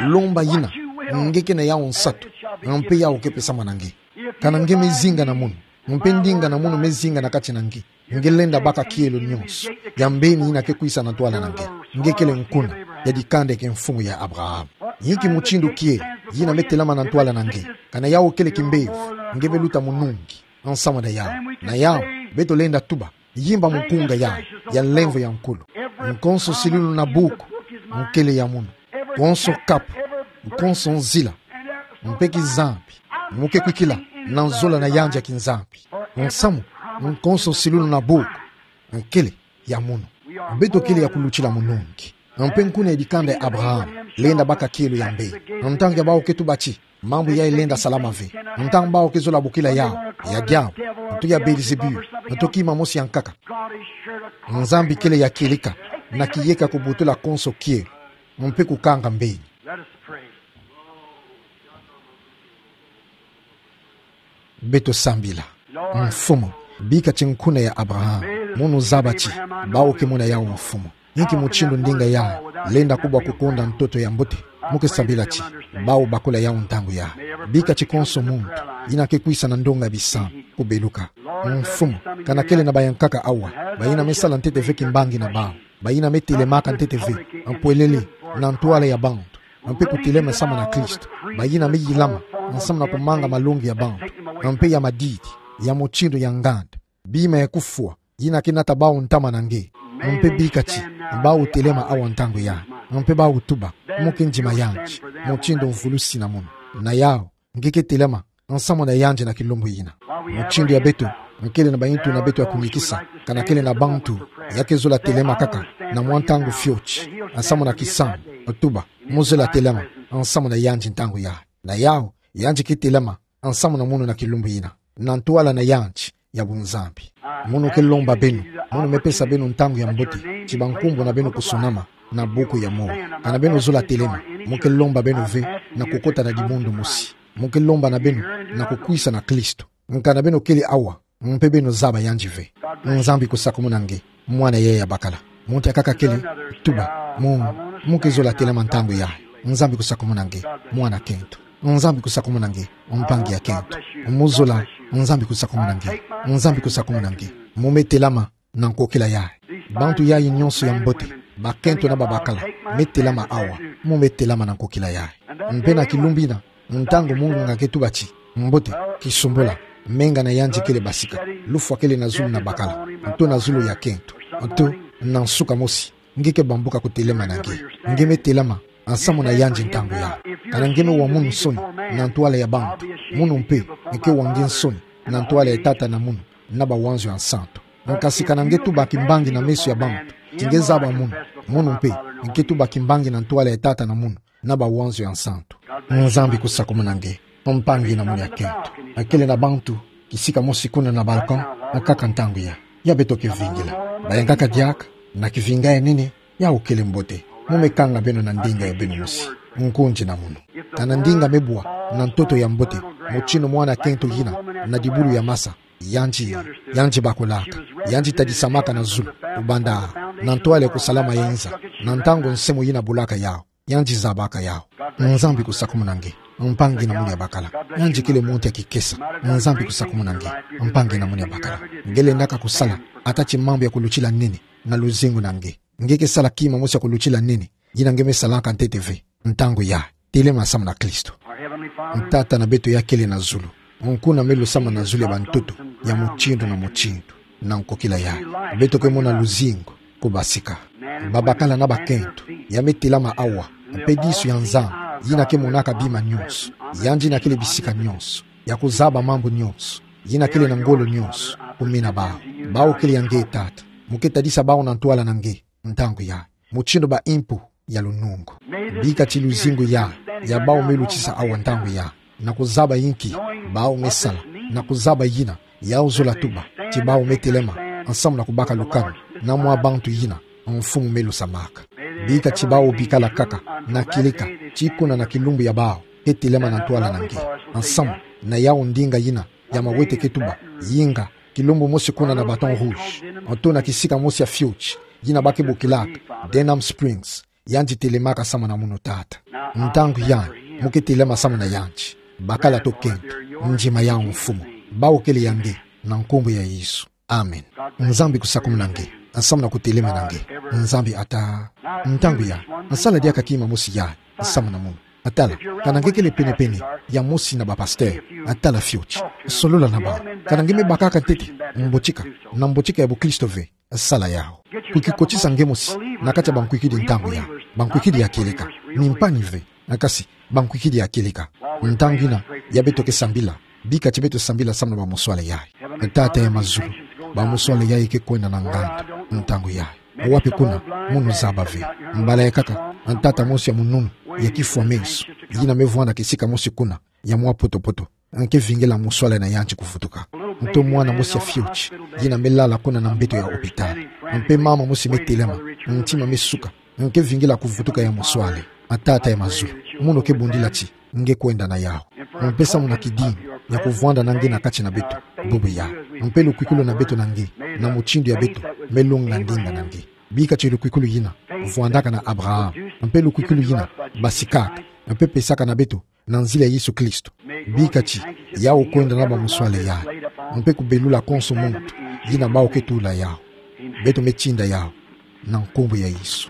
Lomba yina nge ke na yau nsatu, mpe yau ke pesama na nge. Kana nge me zinga na munu, mpe ndinga na munu me zinga na kati na nge, nge lenda baka kielo nyonso, ya mbeni yina ke kwisa na ntwala na nge. Nge kele nkuna ya dikanda ke mfumu ya Abraham. Inki mutindu kielo yina me telama na ntwala na nge. Kana yau kele kimbevo, nge me luta munungi, nsamu na yau. Na yau, beto lenda tuba, yimba mukunga ya, ya nlemvo ya nkulu. Nkonso silulu na buku, nkele ya munu. Konso kapu, nkonso nzila, mpe kizambi, mu ke kwikila na nzola na yandi ya kinzambi. Nsamu, nkonso silulu na buku, nkele ya munu. Beto kele ya kulutila munungi. Mpe nkuna ya dikanda ya Abraham, lenda baka kielo ya mbeni. Ntangu ya bau ke tuba ti, mambu yayi lenda salama ve. Ntangu bau ke zola bokila yau, ya diabu, nto ya Belzebul, nto kima mosi ya nkaka. Nzambi kele ya kieleka, na kiyeka kubutula konso kielo, mpe kukanga mbeni. Let us pray. Beto sambila. Mfumu, bika ti nkuna ya Abraham, munu zaba ti, bau ke mona yau mfumu. Inki mutindu ndinga yayi lenda kubwa kukonda ntoto ya mbote, mu ke sambila ti, bau bakula yau ntangu yayi. Bika ti konso muntu yina ke kwisa na ndonga bisambu kubeluka. Mfumu, kana kele na bayankaka awa, bayina me sala ntete ve kimbangi na bau, bayina me telemaka ntete ve, mpwelele, na ntwala ya bantu, mpe kutelema nsamu na Kristo, bayina me yilama nsamu na kumanga malongi ya bantu, mpe ya madidi, ya mutindu ya nganda, bima ya kufwa, yina ke nata bau ntama na nge. Mpe bika ti, bau telema awa ntangu yayi, mpe bau tuba, mu ke ndima yandi, mutindu mvulusi na munu. Na yau, nge ke telema nsamu na yandi na kilumbu yina. Mutindu ya beto, nkele na bayintu na beto ya kunikisa, kana kele na bantu ya ke zola telema kaka na mwa ntangu fioti, nsamu na kisambu, tuba, mu zola telema nsamu na yandi ntangu yayi. Na yau, yandi ke telema nsamu na munu na kilumbu yina, na ntwala na yandi ya bunzambi. Munu ke lomba beno, munu me pesa beno ntangu ya mbote, ti bankumbu na beno kusunama na buku ya moyo. Kana beno zola telema, mu ke lomba beno ve na kukota na dibundu mosi. Mu ke lomba na beno na kukwisa na Kristo. Kana beno kele awa, mpe beno zaba yandi ve. Nzambi kusakumuna nge, mwana yayi ya bakala. Muntu ya kaka kele, tuba, mu, mu ke zola telema ntangu yayi. Nzambi kusakumuna nge, mwana kento. Nzambi kusakumuna nge, mpangi ya kento. Mu zola, Nzambi kusakumuna nge. Nzambi kusakumuna nge. Mu me telama na nkokila yayi. Bantu yayi nyonso ya mbote, bakento na babakala, me telama awa, mu me telama na nkokila yayi. Mpe na kilumbu yina, ntangu munganga ke tuba ti, mbote, kisumbula, menga na yandi kele basika, lufwa kele na zulu na bakala, nto na zulu ya kento, nto, na nsuka mosi, nge ke bambuka kutelema na nge. Nge me telama nsamu na yandi ntangu yayi. Kana nge me wa munu nsoni na ntwala ya bantu, munu mpe nge ke wa nge nsoni na ntwala ya Tata na Muna na Bawanzo ya Nsantu. Nkasi kana nge tuba kimbangi na meso ya bantu, Ti nge zaba munu, munu mpe nge tuba kimbangi na ntwala ya Tata na Munu na Bawanzo ya Nsantu. Nzambi kusakumuna nge, mpangi na munu ya kento. Akele na bantu kisika mosi kuna na balcon, akaka ntangu ya, ya beto kevingila. Bayankaka diaka na kivinga ya nene, ya ukele mbote. Mu me kanga beno na ndinga ya beno mosi. Nkunzi na munu. Kana ndinga me bwa na ntoto ya mbote, mutinu mwana kento yina na dibulu ya masa, yandi, yandi bakulaka, yandi tadisamaka na zulu, kubanda na ntwala ya kusalama ya inza, na ntangu nsemo yina bulaka yau, yandi zabaka yau. Nzambi kusakumuna nge, mpangi na munu ya bakala. Yandi kele muntu ya kikesa. Nzambi kusakumuna nge, mpangi na munu ya bakala. Nge lendaka kusala ata ti mambu ya kulutila nene na luzingu na nge. Nge ke sala kima mosi ya kulutila nene, yina nge me salaka ntete ve. Ntangu ya, telema samu na Kristo. Tata na beto ya kele na zulu, nkuna me lusama na zulu ya bantoto ya mutindu na mutindu. Na nkokila ya, beto ke mona luzingu kubasika. Babakala na bakento ya me telama awa, mpe disu ya Nzambi, yina ke monaka bima nyonso, yandi yina kele bisika nyonso, ya kuzaba mambu nyonso, yina kele na ngolo nyonso, kumina bau. Bau kele ya nge, Tata. Mu ke tadisa bau na ntwala na nge. Ntangu ya, mutindu ba impu ya lunungu. Bika ti luzingu ya, ya bau me lutisa awa ntangu ya, na kuzaba inki bau me sala, na kuzaba yina yau zola tuba, ti bau me telema nsamu na kubaka lukanu na mwa bantu yina Mfumu me lusamaka. Bika ti bau bikala kaka na kileka, ti kuna na kilumbu ya bau ke telema na ntwala na nge, nsamu na yau ndinga yina ya mawete ke tuba: Yinga, kilumbu mosi kuna na Baton Rouge, nto na kisika mosi ya fioti yina ba ke bokilaka Denham Springs, yandi telemaka samu na munu, Tata. Ntangu ya, mu ke telema samu na yandi. Bakala to kento, ndima yau Mfumu. Bau kele ya nge, na nkumbu ya Yesu. Amen. Nzambi kusakumuna nge, nsamu na kutelema na nge. Nzambi ata. Ntangu ya, nsala diaka kima mosi ya, nsamu na munu. Tala, kana nge kele penepene ya mosi na bapastere, tala fioti. Solola na bau. Kana nge me bakaka ntete mbotika na mbotika ya bukristo ve, sala yau. Kukikotisa nge mosi na kati ya bankwikidi ntangu ya, bankwikidi ya kieleka. Mimpani ve, kasi bankwikidi ya kieleka. Ntangu yina ya beto ke sambila, bika ti beto sambila samu na bamuswale yayi. Tata ya mazulu, bamuswale yayi ke kwenda na nganda ntangu yayi. Wapi kuna? Munu zaba ve. Mbala ya kaka, ntata mosi ya mununu, ya kifwa meso, yina me vwanda kisika mosi kuna ya mwa poto-poto, nge ke vingila muswale na yandi kuvutuka. Nto mwana mosi ya fioti yina me lala kuna na mbeto ya hôpital. Mpe mama mosi me telema, ntima me suka, nge ke vingila kuvutuka ya muswale. Tata ya mazulu, munu ke bundila ti nge kwenda na yau. Mpe samu na kidimbu ya kuvwanda na nge na kati na beto, bubu ya. Mpe lukwikulu na beto na nge, na mutindu ya beto me lunga ndinga na nge. Bika ti lukwikulu yina vwandaka na Abraham, mpe lukwikulu yina basikaka, mpe pesaka na beto na nzila ya Yesu Kristo. Bika ti yau kwenda na bamuswale yayi, mpe kubelula konso muntu yina bau ke tula yau. Beto me tinda yau na nkumbu ya Yesu.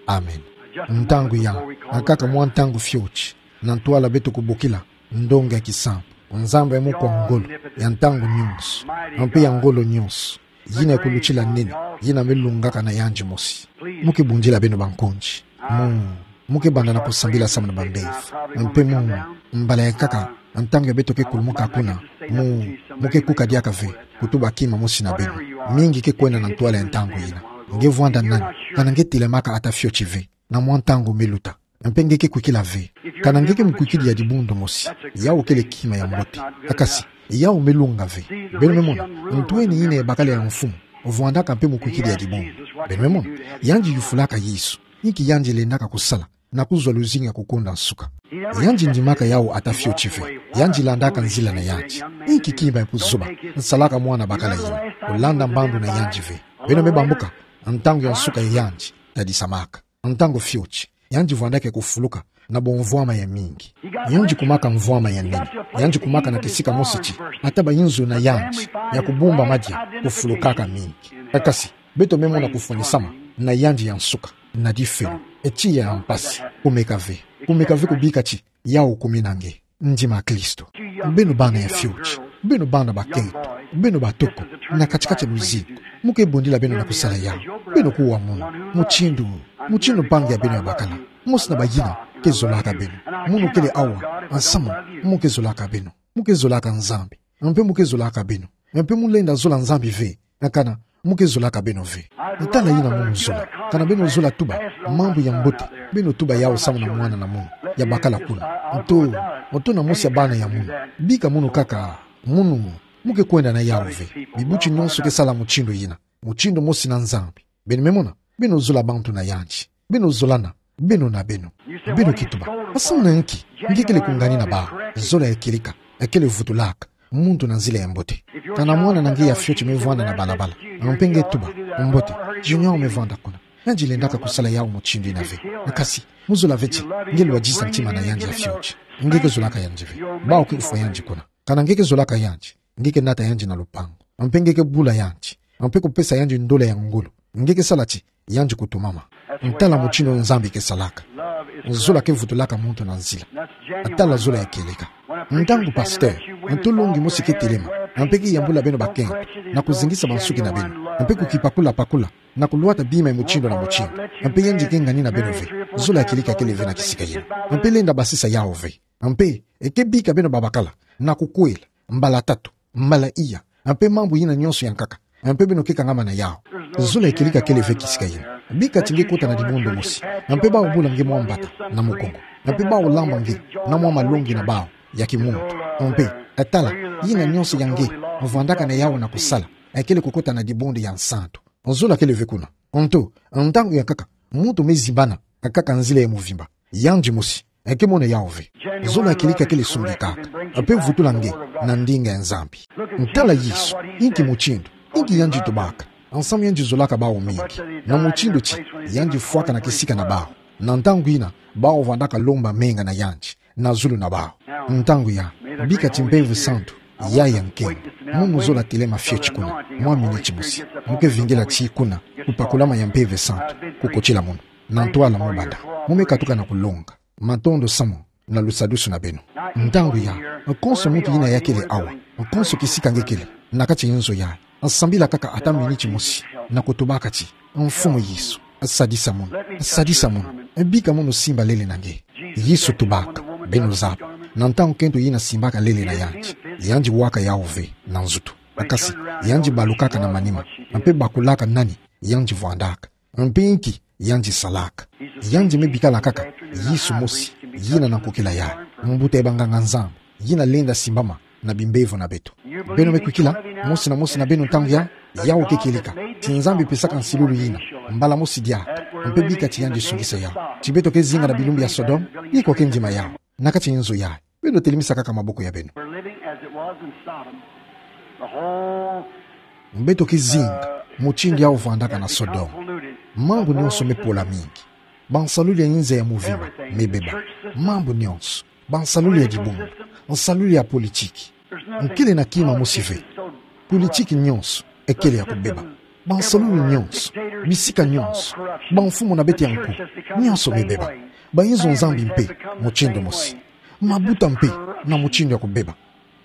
Amen. Ntangu ya, akaka mwa ntangu fioti, na ntwala beto kubokila ndonga ya kisambu: Nzambi ya mokwa ngolo, ya ntangu nyonso, mpe ya ngolo nyonso, yina ya kulutila nene, yina me lungaka na yandi mosi. Mu ke bundila beno bankonzi. Mu, mu ke banda na kusambila samu na bambevo. Mpe mu, mbala ya kaka, ntangu ya beto ke kulumuka kuna, mu, mu ke kuka diaka ve kutuba kima mosi na beno. Mingi ke kwenda na ntwala ya ntangu yina. Nge vwanda nani? Kana nge telemaka ata fioti ve na mwa ntangu me luta? Mpe nge ke kwikila ve. Kana nge ke mukwikidi ya dibundu mosi, yau kele kima ya mbote. Kasi yau me lunga ve. Beno me mona, ntweni yina ya bakala ya mfumu vwandaka mpe mukwikidi ya dibundu. Beno me mona, yandi yufulaka Yesu. Inki yandi lendaka kusala na kuzwa luzingu ya kukunda nsuka? Yandi ndimaka yau ata fioti ve. Yandi landaka nzila na yandi. Inki kima ya buzoba nsalaka mwana bakala yina? Kulanda mbandu na yandi ve. Beno me bambuka, ntangu ya nsuka ya yandi tadisamaka. Ntangu fioti, yandi vwandaka kufuluka na bamvwama ya mingi. Yandi kumaka mvwama ya nene. Yandi kumaka na kisika mosi ti, ata bayinzo na yandi ya kubumba madia kufulukaka mingi. Kasi beto me mona kufwanisama na yandi ya nsuka na difelo, tiya ya mpasi. Kumeka ve. Kumeka ve kubika ti yau kumi na nge. Ndima Kristo. Beno bana ya fioti, beno bana bakento, beno batoko, na kati-kati ya luzingu, mu ke bundila beno na kusala yau. Beno kuwa munu, mutindu, mutindu mpangi ya beno ya bakala, mosi na bayina ke zolaka beno. Munu kele awa, nsamu, mu ke zolaka beno. Mu ke zolaka Nzambi. Mpe mu ke zolaka beno. Mpe mu lenda zola Nzambi ve. Kana Mo ke zolaka beno ve. Ntala yina munu zola. Kana beno zola tuba mambu ya mbote, beno tuba yau samu na mwana na munu ya bakala kuna. Nto, nto na mosi ya bana ya munu. Bika munu kaka, munu, mo ke kwenda na yau ve. Bibuti nyonso ke sala mutindu yina. Mutindu mosi na Nzambi. Beno me mona, beno zola bantu na yandi. Beno zolana, beno na beno. Beno ke tuba: Asana nki nge kele kungani na baha? Zola ya kieleka, ya kele vutulaka muntu na nzila ya mbote. Kana mwana na nge ya fioti me vwanda na balabala, mpe nge tuba: Mbote, Junior me vwanda kuna. Yandi lendaka kusala yau mutindu yina ve. Kasi, mo zola ve ti nge lwadisa ntima na yandi ya fioti. Nge ke zolaka yandi ve. Bawu ke kufwa yandi kuna. Kana nge ke zolaka yandi, nge ke nata yandi na lupangu. Mpe nge ke bula yandi. Mpe kupesa yandi ndola ya ngolo. Nge ke sala ti yandi kutumama. Ntala mutindu Nzambi ke salaka. Zola ke vutulaka muntu na nzila. Ntala zola ya kieleka. Ntangu pasteur, nto longi mosi ke telema, mpe ke yambula beno bakento, na kuzingisa bansuki na beno, mpe kukipakulapakula, na kulwata bima ya mutindu na mutindu, mpe yandi ke ngani na beno ve, zola ya kieleka kele ve na kisika yina. Mpe lenda basisa yau ve. Mpe, e ke bika beno babakala, na kukwela, mbala tatu, mbala iya, mpe mambu yina nyonso ya nkaka, mpe beno ke kangama na yau. Zola ya kieleka kele ve kisika yina. Bika ti nge kota na dibundu mosi, mpe bawu bula nge mwa mbata na mukongo, mpe bawu lamba nge na mwa malongi na bawu ya kimuntu. Mpe, e tala, yina nyonso ya nge vwandaka na yau na kusala, e kele kukota na dibundu ya nsantu. Zola kele ve kuna. Nto, ntangu ya nkaka, muntu me zimbana, akaka nzila ya muvimba. Yandi mosi, e ke mona yau ve. Zola ya kieleka kele sungikaka, mpe vutula nge na ndinga ya Nzambi. Ntala Yesu, inki mutindu, inki yandi tubaka, nsamu yandi zolaka bawu mingi, na mutindu ti yandi fwaka na kisika na bawu. Na ntangu yina, bawu vwandaka lomba menga na yandi na zulu na bawu. Ntangu ya, bika ti Mpeve Santu yaya nkembo. Munu zola telema fioti kuna mwa miniti mosi. Mo ke vingila ti kuna kupakulama ya Mpeve Santu kukotila munu. Na ntwala mo banda, mo me katuka na kulonga. Matondo samu na lusadusu na beno. Ntangu ya, konso muntu yina ya kele awa, konso kisika nge kele, na kati nzo ya, sambila kaka ata miniti mosi, na kutubaka ti: Mfumu Yesu, sadisa munu, sadisa munu, bika munu simba lele na nge. Yesu tubaka: Beno zaba. Na ntangu kento yina simbaka lele na yandi, yandi waka yau ve na nzutu. Kasi, yandi balukaka na manima, mpe bakulaka nani yandi vwandaka, mpe inki yandi salaka. Yandi me bikala kaka Yesu mosi, yina na kukila yandi, mbuta ya banganga-Nzambi, yina lenda simbama na bimbevo na beto. Beno me kwikila, mosi na mosi na beno ntangu ya, yau ke kieleka, ti Nzambi pesaka nsilulu yina, mbala mosi diaka, mpe bika ti yandi sungisa yau. Ti beto ke zinga na bilumbu ya Sodome, ye kwa ke ndima yau, na kati nzo ya, beno telemisa kaka maboko ya beno. We're living as it was in Sodom. The whole Beto ke zinga mutindu yau vwandaka na Sodome. Mambu nyonso me pola mingi. Bansalulu ya inza ya muvimba me beba. Mambu nyonso. Bansalulu ya dibundu. Nsalulu ya politiki. Nkele na kima mosi ve. Politiki nyonso e kele ya kubeba. Bansalulu nyonso. Bisika nyonso. Bamfumu na beto ya nkuwu. Nyonso me beba. Bainzo Nzambi mpe mutindu mosi. Mabuta mpe na mutindu ya kubeba.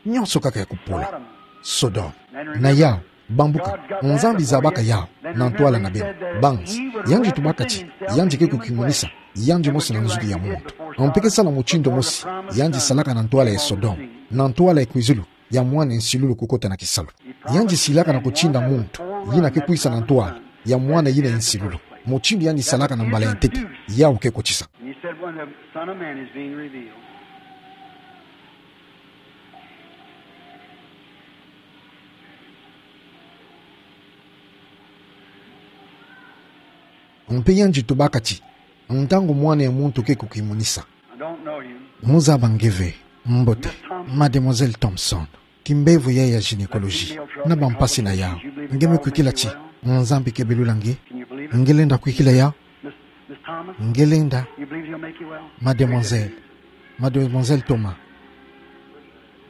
Nyonso kaka ya kupola. Sodome. Na yau, bambuka, Nzambi zabaka yau na ntwala na beno. Banzi, yandi tubaka ti yandi ke kukimunisa yandi mosi na nzuki ya muntu. Mpe ke sala mutindu mosi yandi salaka na ntwala ya Sodome, na ntwala ya kwizulu ya mwana ya nsilulu kukota na kisalu. Yandi silaka na kutinda muntu yina ke kwisa na ntwala ya mwana yina ya nsilulu. Mutindu yandi salaka na mbala ya ntete, yau ke kotisa. And he said, "When the Son of Man is being revealed." Mpe yandi tubaka ti, ntangu mwana ya muntu ke kukimunisa. I don't know you. Mo zaba nge ve, mbote, Mademoiselle Thompson. Kimbevo ya ya gynécologie, na bampasi na yau. Nge me kwikila ti Nzambi ke belula nge? Nge lenda kwikila yau? Nge lenda, Mademoiselle, Mademoiselle Thomas.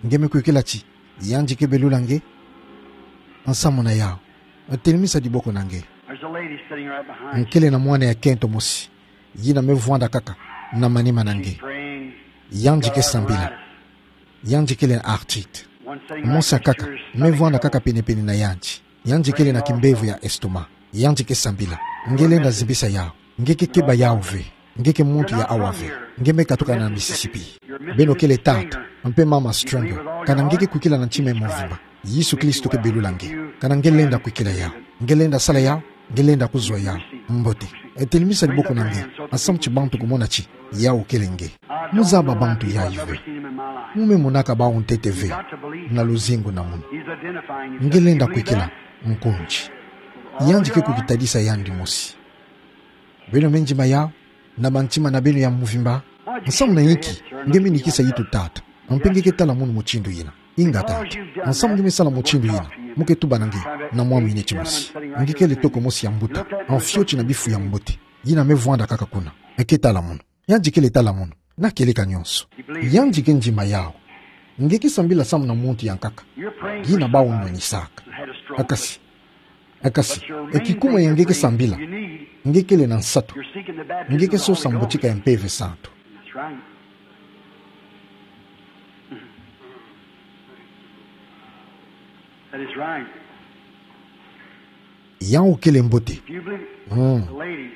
Nge me kwikila ti yandi ke belula nge? Nsamu na yau. Telemisa diboko na nge. Nkele na mwana ya kento mosi, yina me vwanda kaka na manima na nge. Yandi ke sambila. Yandi kele na arthrite. Mosi ya nkaka me vwanda kaka penepene na yandi. Yandi kele na kimbevo ya estomac. Yandi ke sambila. Nge lenda zimbisa yau. Nge ke keba yau ve. Nge ke muntu ya awa ve. Nge me katuka na Mississippi. Beno kele tata mpe mama Stringer. Kana nge ke kwikila na ntima ya mvimba, Yesu Kristo ke belula nge. Kana nge lenda kwikila yau. Nge lenda sala yawu, nge lenda kuzwa yawu. Mbote. Telimisa diboko na nge, nsamu ti bantu kumona ti yawu kele nge. Mo zaba bantu yayi ve. Mo me monaka bawu ntete ve na luzingu na munu. Nge lenda kwikila nkunzi. Yandi ke kukitadisa yandi mosi. Beno me ndima yawu na mantima na beno ya mvimba. Nsamu na inki nge me nikisa yitu tata, mpe nge ke tala munu mutindu yina? Inga tata. Nsamu nge me sala mutindu yina? Mo ke tuba na nge na mwa miniti mosi. Nge kele toko mosi ya mbuta, fioti na bifu ya mbote, yina me vwanda kaka kuna. Nge ke tala munu. Yandi kele tala munu na kieleka nyonso. Yandi ke ndima yawu. Nge ke sambila samu na muntu ya nkaka yina bawu nwenisaka. Kasi, kasi, e kikuma ya nge ke sambila, nge kele na nsatu. Nge ke sosa mbotika ya Mpeve Santu. That's right. That is right. Yawu kele mbote. If you believe, mm, the lady,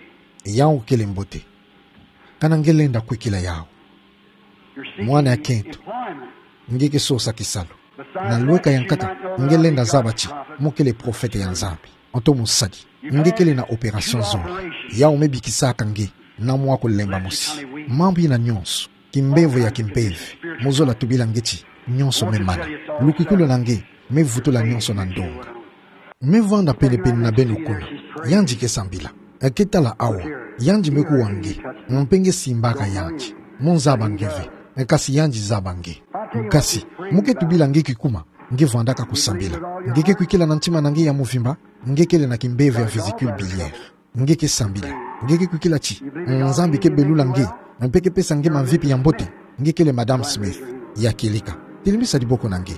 yawu kele mbote. Kana nge lenda kwikila yawu, you're seeking, mwana ya kento, employment, nge ke sosa kisalu. Na lweka ya nkaka, nge lenda zaba ti mo kele profete ya Nzambi, oto mosadi. Nge kele na opération zole. Yawu me bikisaka nge na mwa kulemba mosi. Mambu yina nyonso, kimbemvo ya kimpeve, mo zola tubila nge ti nyonso me mana. Lukwikilu na nge me vutula nyonso na ndonga. Me vwanda penepene na beno kuna. Yandi ke sambila. Nge ke tala awa. Yandi me kuwa nge. Mpe nge simbaka yandi. Mo zaba nge ve. Kasi yandi zaba nge. Kasi, mo ke tubila nge kikuma nge vwandaka kusambila. Nge ke kwikila na ntima na nge ya mvimba, nge kele na kimbemvo ya vésicule biliaire. Nge ke sambila. Nge ke kwikila ti Nzambi ke belula nge, mpe ke pesa nge mamvipi ya mbote. Nge kele Madame Smith ya kieleka. Telimisa diboko na nge.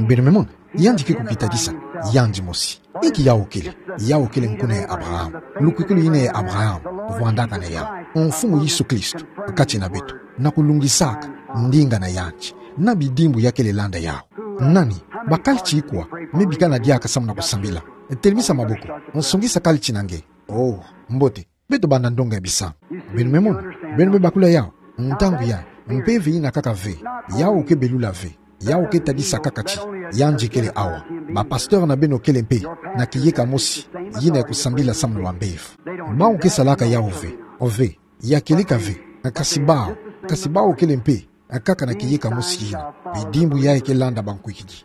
Beno me mona, yandi ke kukitadisa yandi mosi. Inki yawu kele? Yawu kele nkuna ya Abraham. Lukwikilu yina ya Abraham vwandaka na yawu, Mfumu Yesu Kristo, kati na beto, na kulungisaka ndinga na yandi na bidimbu ya kele landa yawu. Nani? Bakali ti ikwa me bikana diaka samu na kusambila? Telimisa maboko. Songisa kali ti na nge. Oh, mbote. Beto banda ndonga ya bisamu. Beno me mona, beno me bakula yawu. Ntangu ya, mpeve yina kaka ve. Yawu ke belula ve. Yawu ke tadisa kaka ti yandi kele awa. Ba pasteur na beno kele mpe na kiyeka mosi yina ya kusambila samu na bambevo. Bawu ke salaka yawu ve. Ove, ya kieleka ve. Kasi bawu, kasi bawu kele mpe kaka na kiyeka mosi yina. Bidimbu yayi ke landa bankwikidi.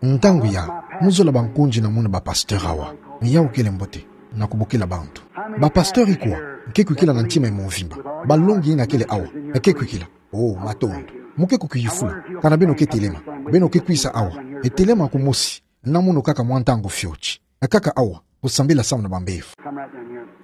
Ntangu ya, mo zola bankunzi na munu ba pasteur awa. Yawu kele mbote na kubokila bantu. Ba pasteur ikwa ke kwikila na ntima ya mvimba? Balongi yina kele awa, ke kwikila? Oh, matondo. Mo ke kukiyufula. Kana beno ke telema, beno ke kwisa awa. Telema kumosi na munu kaka mwa ntangu fioti. Kaka awa, kusambila samu na bambevo.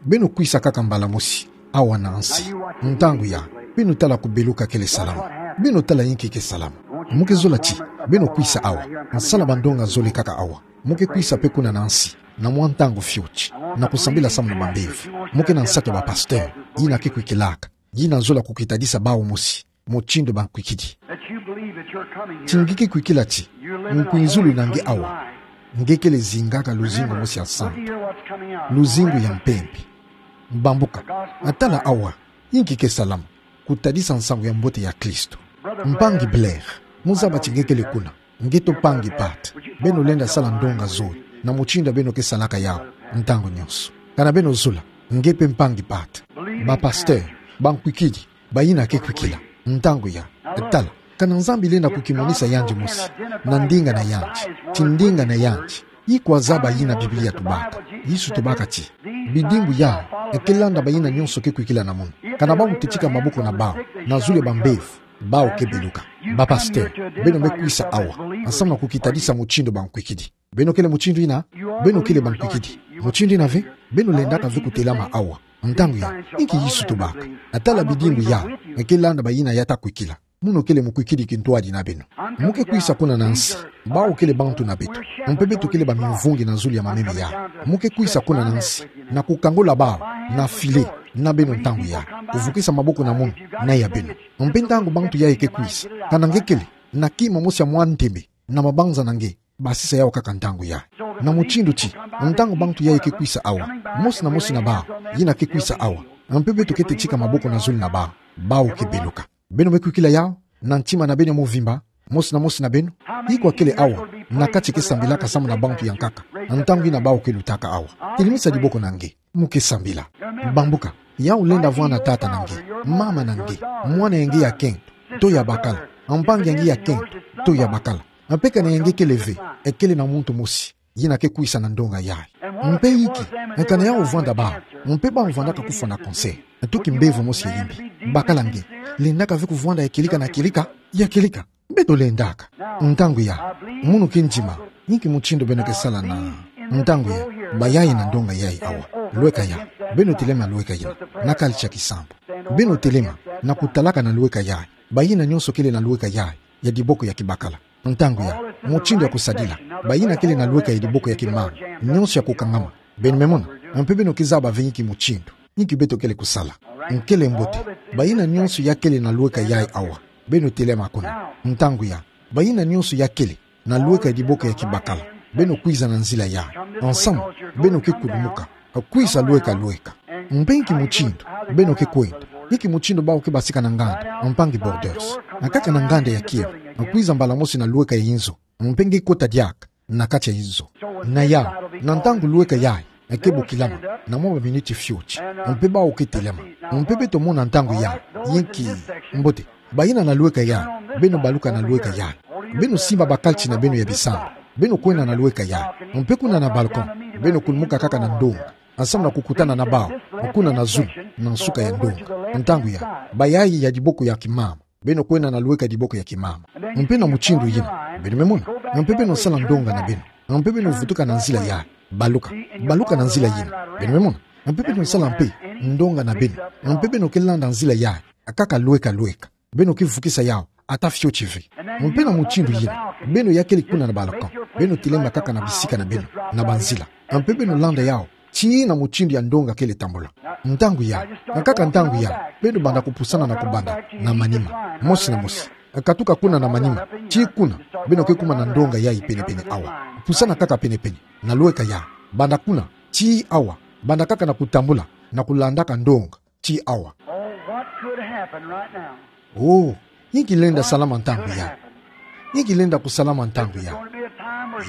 Beno kwisa kaka mbala mosi awa na nsi. Ntangu ya, beno tala kubeluka kele salama. Beno tala inki ke salama. Mo ke zola ti beno kwisa awa, nsala bandonga zole kaka awa. Mo ke kwisa mpe kuna na nsi na mwa ntangu fioti, na kusambila samu na bambevo. Mo ke na nsatu ya ba pasteur yina ke kwikilaka, yina zola kukitadisa bawu mosi mutindu bankwikidi. Ti nge ke kwikila ti nkwizulu na nge awa, nge kele zingaka luzingu mosi ya nsantu, luzingu ya mpembe. Bambuka, tala awa inki ke salama, kutadisa nsangu ya mbote ya Kristo. Mpangi Blair, mo zaba ti nge kele kuna. Nge to mpangi Pat, beno lenda sala ndonga zole na mutindu beno ke salaka yawu ntangu nyonso. Kana beno zola, nge mpe mpangi Pat. Ba pasteur, bankwikidi, bayina ke kwikila ntangu ya, tala, kana Nzambi lenda kukimonisa yandi mosi na ndinga na yandi, ti ndinga na yandi ikwa zaba yina Biblia tubaka. Yesu tubaka ti bidimbu yayi ke landa bayina nyonso ke kwikila na munu. Kana bawu tetika maboko na bawu na zulu ya bambevo, bawu ke beluka. Ba pasteur, beno me kwisa awa samu na kukitadisa mutindu bankwikidi. Beno kele mutindu yina? Beno kele bankwikidi mutindu yina ve? Beno lendaka ve kutelama awa ntangu ya, inki Yesu tubaka? Tala bidimbu yayi ke landa bayina ya ta kwikila. Munu kele mukwikidi kintwadi na beno. Mo ke kwisa kuna na nsi. Bawu kele bantu na beto. Mpe beto kele bamimvungi na zulu ya mameme yayi. Mo ke kwisa kuna na nsi na kukangula bawu na filet na beno ntangu yayi, kuvukisa maboko na munu na ya beno. Mpe ntangu bantu yayi ke kwisa, kana nge kele na kima mosi ya mwa ntembe na mabanza na nge, basisa yawu kaka ntangu yayi. Na mutindu ti, ntangu bantu yayi ke kwisa awa, mosi na mosi na bawu yina ke kwisa awa, mpe beto ke tetika maboko na zulu na bawu, bawu ke beluka. Beno me kwikila yawu na ntima na beno ya mvimba, mosi na mosi na beno? Ikwa kele awa na kati ke sambilaka samu na bantu ya nkaka, ntangu ina bawu ke lutaka awa. Telemisa diboko na nge, mo ke sambila. Bambuka, yawu lenda vwanda tata na nge, mama na nge, mwana ya nge ya kento, to ya bakala, mpangi ya nge ya kento, to ya bakala. Mpe kana ya nge kele ve, ekele na muntu mosi yina ke kwisa na ndonga yayi. Mpe inki, kana yawu vwanda bawu, mpe bawu vwandaka kufwa na cancer, to kimbevo mosi ya yimbi. Bakala nge, lendaka ve kuvwanda ya kieleka na kieleka, ya kieleka. Beto lendaka. Ntangu ya, munu ke ndima, inki mutindu beno ke sala na. Ntangu ya, bayayi na ndonga yayi awa. Lweka ya, beno telema lweka yina, na kali tia kisambu. Beno telema, na kutalaka na lweka yayi, bayina nionso kele na lweka yayi ya diboko ya kibakala. Ntangu ya, mutindu ya kusadila, bayina kele na lweka ya diboko ya kimama, nionso ya kukangama. Beno me mona, mpe beno ke zaba ve inki mutindu, inki beto kele kusala. Nkele mbote, bayina nionso ya kele na lweka yayi awa, beno telema kuna. Ntangu ya, bayina nionso ya kele na lweka ya diboko ya kibakala, beno kwiza na nzila yayi. Ensemble, beno ke kulumuka, kwisa lweka lweka. Mpe inki mutindu beno ke kwenda, inki mutindu bawu ke basika na nganda, mpangi Borders. Nkaka na nganda ya kielo, kwiza mbala mosi na lweka ya inzo, mpe nge kota diaka na kati ya inzo. Na yawu, na ntangu lweka yayi ke bokilama, na mwa baminiti fioti, mpe bawu ke telema. Mpe beto mona ntangu yayi, inki, mbote, bayina na lweka yayi, beno baluka na lweka yayi. Beno simba bakati na beno ya bisambu, beno kwenda na lweka yayi. Mpe kuna na balcon, beno kulumuka kaka na ndonga, ensemble na kukutana na bawu, kuna na zulu, na nsuka ya ndonga. Ntangu ya, bayayi ya diboko ya kimama, beno kwenda na lweka diboko ya kimama. Mpe na mutindu yina, beno me mona, mpe beno sala ndonga na beno, mpe beno vutuka na nzila yayi. Baluka, baluka na nzila yina, beno me mona, mpe beno sala mpe ndonga na beno, mpe beno ke landa nzila yayi, kaka lweka lweka. Beno ke vukisa yawu ata fioti ve. Mpe na mutindu yina, beno ya kele kuna na balcon, beno telema kaka na bisika na beno, na banzila, mpe beno landa yawu tii na mutindu ya ndonga kele tambula. Ntangu ya, nkaka ntangu ya, beno banda kupusana na kubanda na manima, mosi na mosi. Katuka kuna na manima tii kuna, beno ke kuma na ndonga yayi penepene awa. Pusana kaka penepene na lweka yayi, banda kuna tii awa, banda kaka na kutambula, na kulandaka ndonga tii awa. Oh, what could happen right now? Oh, inki lenda salama ntangu yayi? Inki lenda kusalama ntangu yayi?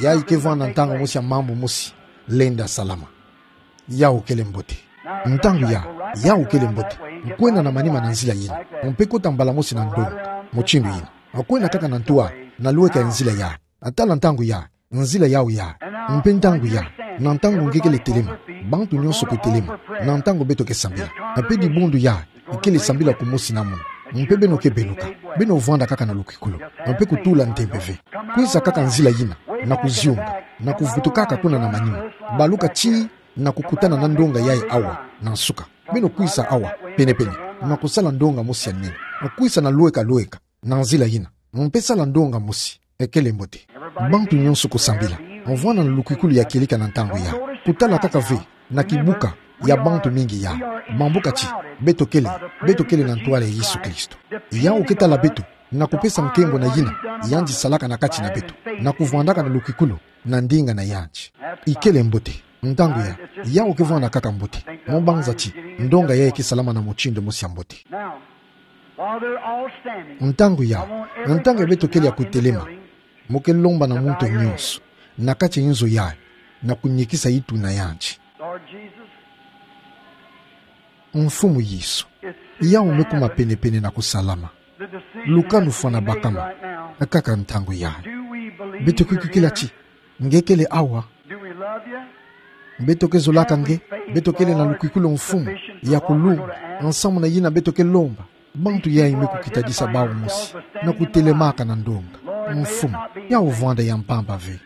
Yayi ke vwanda ntangu mosi ya mambu mosi lenda salama. Yawu kele mbote. Ntangu ya, yawu kele mbote. Nkwenda na manima na nzila yina, mpe kota mbala mosi na ndonga, mutindu yina. Nkwenda kaka na ntwala, na lweka ya nzila yayi. Tala ntangu ya, nzila yawu ya. Mpe ntangu ya, na ntangu nge kele telema, bantu nionso ke telema, na ntangu beto ke sambila. Mpe dibundu ya, ikele sambila kumosi na munu. Mpe beno ke beluka, beno vwanda kaka na lukikulu, mpe kutula ntembe ve. Kwisa kaka nzila yina, na kuzionga, na kuvutukaka kuna na manima. Baluka tii na kukutana na ndonga yayi awa na nsuka. Beno kwisa awa penepene, na kusala ndonga mosi ya nene. Kwisa na lweka lweka na nzila yina, mpe sala ndonga mosi. Ekele mbote. Bantu nionso kusambila, vwanda na lukikulu ya kieleka na ntangu ya. Kutala kaka ve na kibuka ya bantu mingi ya. Bambuka ti, beto kele, beto kele na ntwala ya Yesu Kristo. Yawu ke tala beto, na kupesa nkembo na yina yandi salaka na kati na beto, na kuvwandaka na lukikulu na ndinga na yandi. Ikele mbote. Ntangu ya, yawu ke vwanda kaka mbote. Mo mbanza ti ndonga yayi ke salama na mutindu mosi ya mbote. Now, while they're all standing, ntangu ya, ntangu ya beto kele ya kutelema, mo ke lomba na muntu nionso na kati ya inzo yayi, na kunikisa itu na yandi. Lord Jesus, Mfumu Yesu, yawu me kuma penepene na kusalama. Lukanu fwana bakama, kaka ntangu yayi. Beto ke kwikila ti nge kele awa. Beto ke zolaka nge, beto kele na lukikulu, Mfumu, ya kulumba, nsamu na yina beto ke lomba. Bantu yayi me kukitadisa bawu mosi na kutelemaka na ndonga. Mfumu, yawu vwanda ya mpamba ve.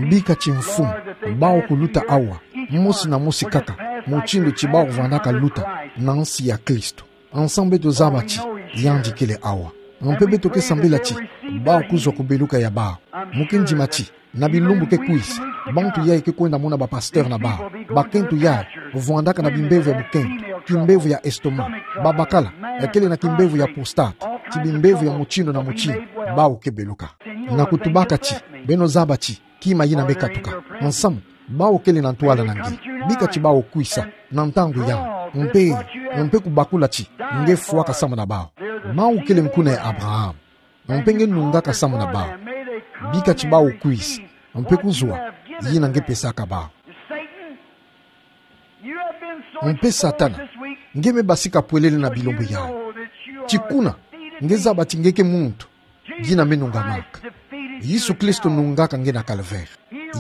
Bika ti, Mfumu, bawu kuluta awa mosi na mosi kaka mutindu ti bawu vwandaka luta na nsi ya Kristo. Nsamu beto zaba ti yandi kele awa. Mpe beto ke sambila ti bawu kuzwa ku beluka ya bawu. Mo ke ndima ti na bilumbu ke kwisa, bantu yayi ke kwenda mona bapasteur na bawu. Bakento yayi vwandaka na bimbevo ya bukento, kimbevo ya estomac, babakala, kele na kimbevo ya prostate, ti bimbevo ya mutindu na mutindu, bawu ke beluka. Na kutubaka ti, beno zaba ti kima yina me katuka. Nsamu, bawu kele na ntwala na nge. Bika ti bawu kwisa na ntangu yayi, mpe, mpe kubakula ti nge fwaka samu na bawu. Bawu kele nkuna ya Abraham. Mpe nge nungaka samu na bawu. Bika ti bawu kwisa Mpe kuzwa, yina nge pesaka bau. Mpe Satana, nge me basika pwelele na bilumbu yayi. Ti kuna, nge zaba ti nge ke muntu. Dina me nungamaka. Yesu Kristo nungaka nge na Calvaire.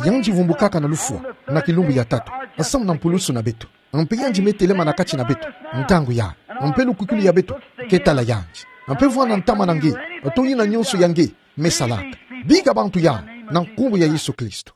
Yandi vumbukaka na lufwa, na kilumbu ya tatu, samu na mpulusu na beto. Mpe yandi me telema na kati na beto, ntangu yayi. Mpe lukwikulu ya beto ke tala yandi. Mpe vwanda ntama na nge, to yina nyonso ya nge me salaka. Bika bantu yayi, na nkumbu ya Yesu Kristo.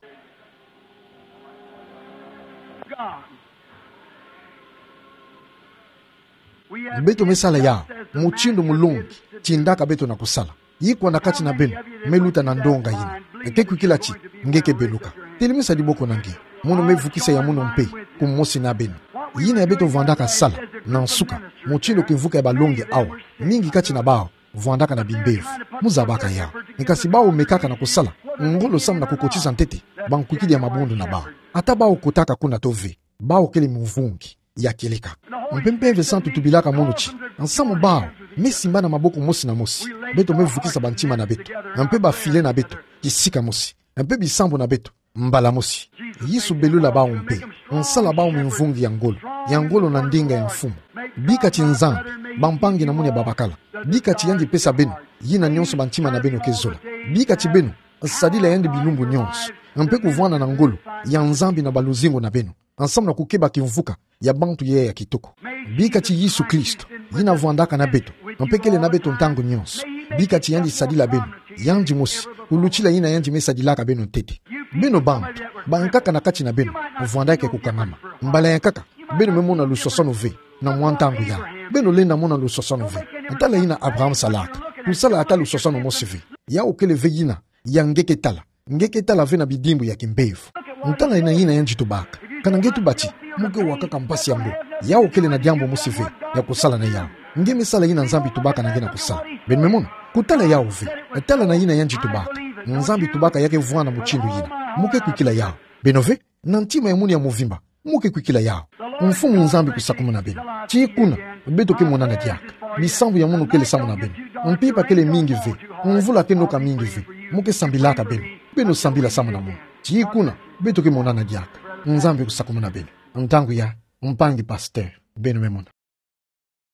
Beto me sala yawu, mutindu mulongi, tindaka beto na kusala. Ikwa na kati na beno me luta na ndonga yina? Nge ke kwikila ti nge ke beluka? Telemisa diboko na nge. Mono me vukisa ya mono mpe, kumosi na beno. Yina ya beto vwandaka sala, na nsuka, mutindu kimvuka ya balongi awa, mingi kati na bawu vwandaka na bimbevo. Muzabaka yawu. Nge kasi bawu mekaka na kusala ngolo samu na kukotisa ntete bankwikidi ya mabundu na bawu. Ata bawu kotaka kuna to ve, bawu kele mvungi ya kieleka. Mpe Mpeve Santu tubilaka mono ti, nsamu bawu me simba na maboko mosi na mosi, beto me vukisa bantima na beto, mpe bafile na beto kisika mosi, mpe bisambu na beto mbala mosi. Yesu belula bawu mpe, nsala bawu mvungi ya ngolo, ya ngolo na ndinga ya mfumu. Bika ti Nzambi, bampangi na munu ya babakala, bika ti yandi pesa beno yina nyonso bantima na beno ke zola. Bika ti beno sadila yandi bilumbu nyonso, mpe kuvwanda na ngolo ya Nzambi na baluzingu na beno, nsamu na kukeba kimvuka ya bantu yayi ya kitoko. Bika ti Yesu Kristo, yina vwandaka na beto, mpe kele na beto ntangu nyonso. Bika ti yandi sadila beno, yandi mosi, kulutila yina yandi me sadilaka beno ntete. Beno bantu bankaka na kati na beno vwandaka ya kukangama, mbala ya nkaka beno me mona lusoswanu ve na mwa ntangu yawu. Beno lenda mona lusoswanu ve. Tala yina Abraham salaka. Kusala ata lusoswanu mosi ve. Yawu kele ve yina ya nge ke tala. Nge ke tala ve na bidimbu ya kimbevo. Tala yina, yina yandi tubaka. Kana nge tuba ti mo ke wakaka mpasi ya ngolo, yawu kele na diambu mosi ve ya kusala na yawu. Nge me sala yina Nzambi tubaka na nge na kusala. Beno me mona? Kutala yawu ve. Tala na yina yandi tubaka. Nzambi tubaka ya ke vwanda mutindu yina. Mo ke kwikila yawu? Beno ve, na ntima ya munu ya mvimba, mo ke kwikila yawu? Mfumu Nzambi kusakumuna beno. Ti kuna beto ke monana diaka. Bisambu ya mono kele samu na beno. Mpimpa kele mingi ve. Mvula ke noka mingi ve. Mo ke sambilaka beno? Beno sambila samu na mono. Ti kuna beto ke monana diaka. Nzambi kusakumuna beno. Ntangu yayi, mpangi pasteur, beno me mona.